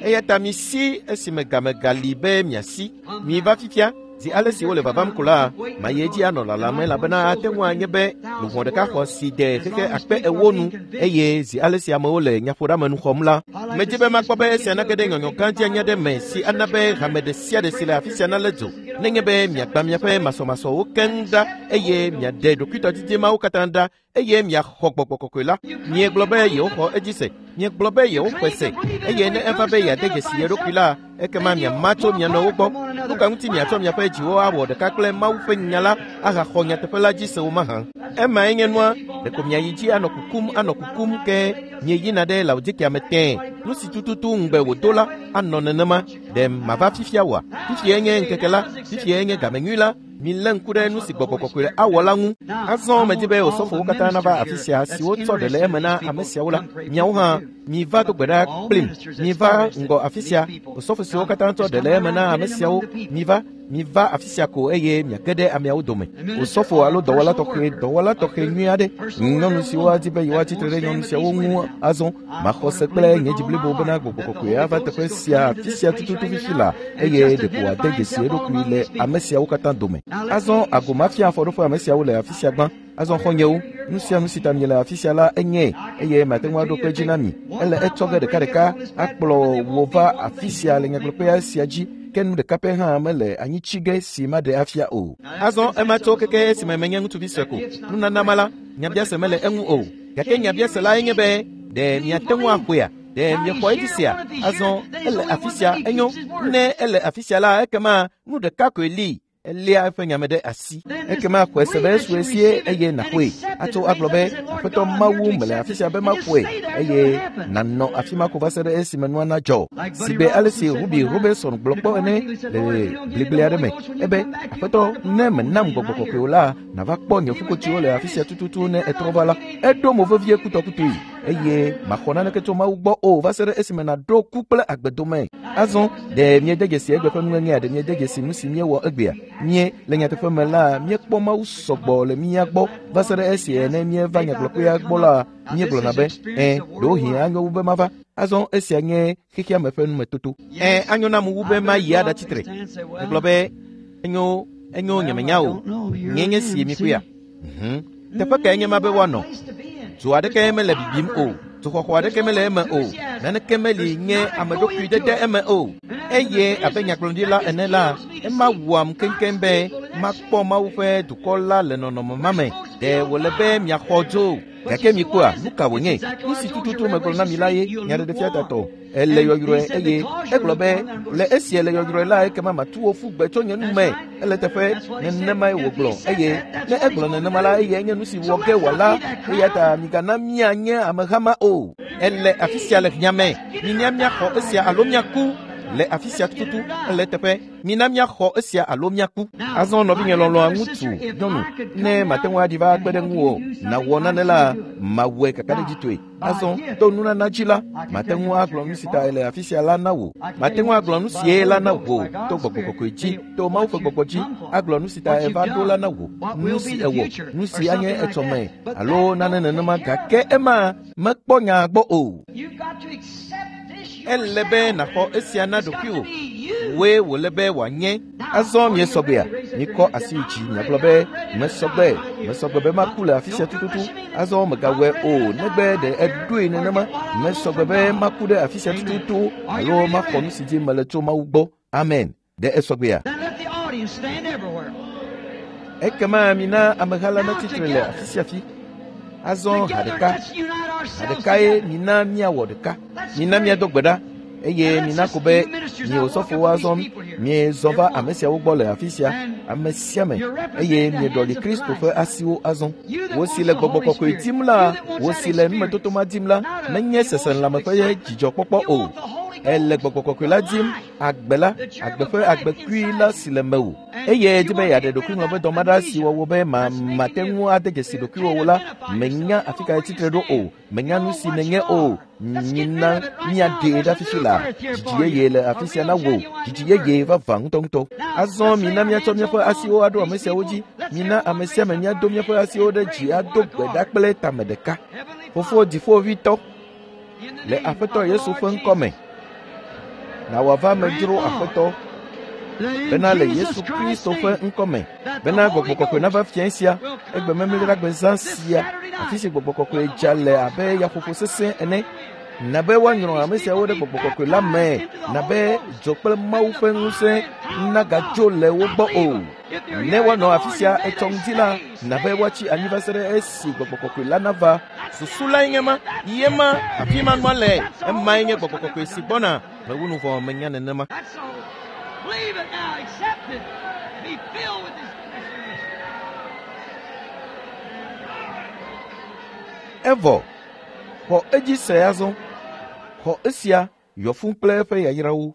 Eya ta misi esime game gali be miasi. Miva fifia. Zi ale si wole vavam ko la, mayi edzi anɔ lalam elabena ate ŋu anye be luʋɔ ɖeka xɔ si de xexe akpe ewo nu eye zi ale si amewo le nyaƒoɖeamenu xɔm la, medzi be makpɔ be esia nage ɖe nyɔnyɔ gã dzi anya ɖe me si ana be hame ɖe sia ɖe si le afi sia nalé dzo. Nenye be miagbã miaƒe masɔmasɔwo keŋ ɖa eye miaɖe ɖokuitɔdidi mawo katã ɖa eye miaxɔ gbɔgbɔ kɔkɔe la. Miegblɔ be yewoxɔ edzi se. Miegblɔ be yewoxɔe se. Eye ne eva be yeade dzesi ye ɖokui la, ekema miama tso mia nɔewo gbɔ. Nu ka ŋuti miatsɔ miaƒe dziwo awɔ ɖeka kple Mawu ƒe nya la ahaxɔ nyateƒe la dzi se wo mahã? Emae nye nua. Ɖeko miayi dzi anɔ kukum anɔ kukum ke mieyina ɖe Laodikea me tẽe. Nu si tututu ŋugbe wòdo la anɔ nenema. Ɖe mava fifia oa? Fifiae nye ŋkeke la. Fifiae nye game nyui la. Milé ŋku ɖe nu si gbɔgbɔ kɔkɔe awɔ la ŋu. Azɔ medzi be osɔfowo katã nava afi sia siwo tsɔ ɖe le eme na ame siawo la. Miawo hã miva do gbe ɖa kplim. Miva ŋgɔ afi sia. Osɔfo siwo katã tsɔ ɖe le eme na ame siawo, miva, miva afi sia ko eye miage ɖe ameawo dome. Osɔfo alo dɔwɔla tɔxɛ, dɔwɔla tɔxɛ nyui aɖe. Nyɔnu siwo adi be yewoatsi tre ɖe nyɔnu siawo ŋu azɔ. Maxɔ se kple nye dzi blibo bena gbɔgbɔ kɔkɔe ava teƒe sia afi sia tututu fifi la eye ɖeko wòade dzesi eɖokui le ame siawo katã dome. Azɔ ago mafia afɔɖoƒe ame siawo le afi sia gbã. Azɔ xɔnyewo, nu sia nu si ta miele afi sia la enye eye mate ŋu aɖo kpe dzi na mi. Ele etsɔ ge ɖekaɖeka akplɔ wò va afi sia le nyagblɔkpea sia dzi. Ke nu ɖeka pɛ hã mele anyitsi ge si maɖe afia o. Azɔ ema tso keke esime menye ŋutsuvi sue ko. Nunana ma la, nyabiase mele eŋu o. Gake nyabiase lae nye be ɖe miate ŋu axɔea? Ɖe miexɔ edzi sia? Azɔ ele afi sia enyo. Ne ele afi sia la, ekema nu ɖeka koe li. Eléa eƒe nyame ɖe asi. Ekema xɔe se be esue sie eye nàxɔe. Atso agblɔ be Aƒetɔ Mawu mele afi sia be maxɔe eye nànɔ afi ma ko va se ɖe esime nua nadzɔ. Sigbe ale si Ruby Robinson gblɔ kpɔ ene le gligli aɖe me ebe Aƒetɔ ne menam gbɔgbɔ kɔkɔe o la, nàva kpɔ nye ƒukotsiwo le afi sia tututu ne etrɔ va la. Eɖo mo vevie kutɔkutɔe eye maxɔ naneke tso Mawu gbɔ o va se ɖe esime nàɖo ku kple agbe dome. Azɔ ɖe miede dzesi egbe ƒe nuŋeŋea? Ɖe miede dzesi nu si míewɔ egbea? Mie le nyateƒe me la, míekpɔ Mawu sɔgbɔ le mía gbɔ va se ɖe esi ne míeva nyagblɔkpea gbɔ la, míegblɔna be ẽ ɖewohĩ anyo wu be mava. Azɔ esia nye xexea me ƒe numetoto. Ẽ anyo nam wu be mayi aɖatsi tre. Megblɔ be enyo enyo nyemenya o. Nye nye si mikpɔea. Mhm. Teƒe kae nye ma be woanɔ? Dzo aɖeke mele bibim o. Dzoxɔxɔ aɖeke mele eme o. Naneke meli nye ame ɖokui dede eme o. Eye abe nyagblɔɖila ene la, ema wɔam keŋkeŋ be makpɔ Mawu ƒe dukɔ la le nɔnɔme ma me. Ɖe wòle be miaxɔ dzo. Gake mikpɔa, nu ka wònye? Nu si tututu megblɔ na mi la ye nyaɖeɖefia tatɔ. Ele yɔyrɔe eye egblɔ be le esi ele yɔyrɔe la, ekema matu wò ƒu gbe tso nye nu me. Ele teƒe nenemae wògblɔ eye ne egblɔ nenema la, eye nye nu si wɔ ge wòala. Eya ta migana míanye ameha ma o. Ele afi sia le hiã me. Mina míaxɔ esia alo míaku. Le afi sia tututu ele teƒe. Mina míaxɔ esia alo míaku. Azɔ nɔvinye lɔlɔ̃a ŋutsu, nyɔnu, ne mate ŋu aɖi va kpe ɖe ŋuwò nàwɔ nane la, mawɔe kakaɖedzitɔe. Azɔ to nunana dzi la, mate ŋu agblɔ nu si ta ele afi sia la na wò. Mate ŋu agblɔ nu sie la na wò to gbɔgbɔ kɔkɔe dzi, to Mawu ƒe gbɔgbɔ dzi, agblɔ nu si ta eva ɖo la na wò, nu si ewɔ, nu si anye etsɔme alo nane nenema. Gake ema mekpɔ nya gbɔ o. Ele be nàxɔ esia na ɖokuiwò. Woe wòle be wòanye. Azɔ miesɔgbea, mikɔ asi yi dzi miagblɔ be mesɔgbe, mesɔgbe be maku le afi sia tututu. Azɔ megawɔe o negbe ɖe eɖoe nenema. Mesɔgbe be maku ɖe afi sia tututu alo maxɔ nu si dim mele tso Mawu gbɔ. Amen. Ɖe esɔgbea. Ekema mina ameha la netsitre le afi sia afi. Azɔ ha ɖeka, ha ɖekae mina míawɔ ɖeka. Mina míado gbe ɖa eye mina ko be mi osɔfowo azɔ miezɔ va ame siawo gbɔ le afi sia, ame sia ame, eye mieɖɔli Kristo ƒe asiwo azɔ. Wo si le gbɔgbɔ kɔkɔe dim la, wo si le numetoto ma dim la, menye seselãme ƒe dzidzɔkpɔkpɔ o. Ele gbɔgbɔ kɔkɔe la dim, agbe la, agbe ƒe agbekui la si le mewò. Eye di be yeaɖe ɖokuiŋlɔ ƒe dɔmaɖa si wɔwɔ be ma mate ŋu ade dzesi ɖokuiwò la, menya afi ka tsitre ɖo o, menya nu si nènye o. Mina míaɖee ɖe afi si la, dzidzi yeye le afi sia na wò, dzidzi yeye vavã ŋutɔŋutɔ. Azɔ mina míatsɔ míaƒe asiwo aɖo ame siawo dzi. Mina ame sia ame míado míaƒe asiwo ɖe dzi ado gbe ɖa kple tame ɖeka. Fofo dziƒoʋĩtɔ, le Aƒetɔ Yesu ƒe ŋkɔme, na wòava medzro Aƒetɔ, bena le Yesu Kristo ƒe ŋkɔme, bena gbɔgbɔ kɔkɔe nava fiẽ sia, egbememleɖagbezã sia, afi si gbɔgbɔ kɔkɔe dza le abe yaƒoƒo sesẽ ene, na be woanyrɔ ame siawo ɖe gbɔgbɔ kɔkɔe la me, na be dzo kple Mawu ƒe ŋusẽ nagadzo le wo gbɔ o. Ne woanɔ afi sia etsɔ ŋdi la, na be woatsi anyi va se ɖe esi gbɔgbɔ kɔkɔe la nava. Susu lae nye ma, ye ma, afi ma nua le, emae nye gbɔgbɔ kɔkɔe si gbɔna. Mewu nu vɔ menya nenema. Believe it now, accept it, be filled with His Evɔ, xɔ edzi se azɔ. Xɔ esia yɔ fũu kple eƒe yayrawo.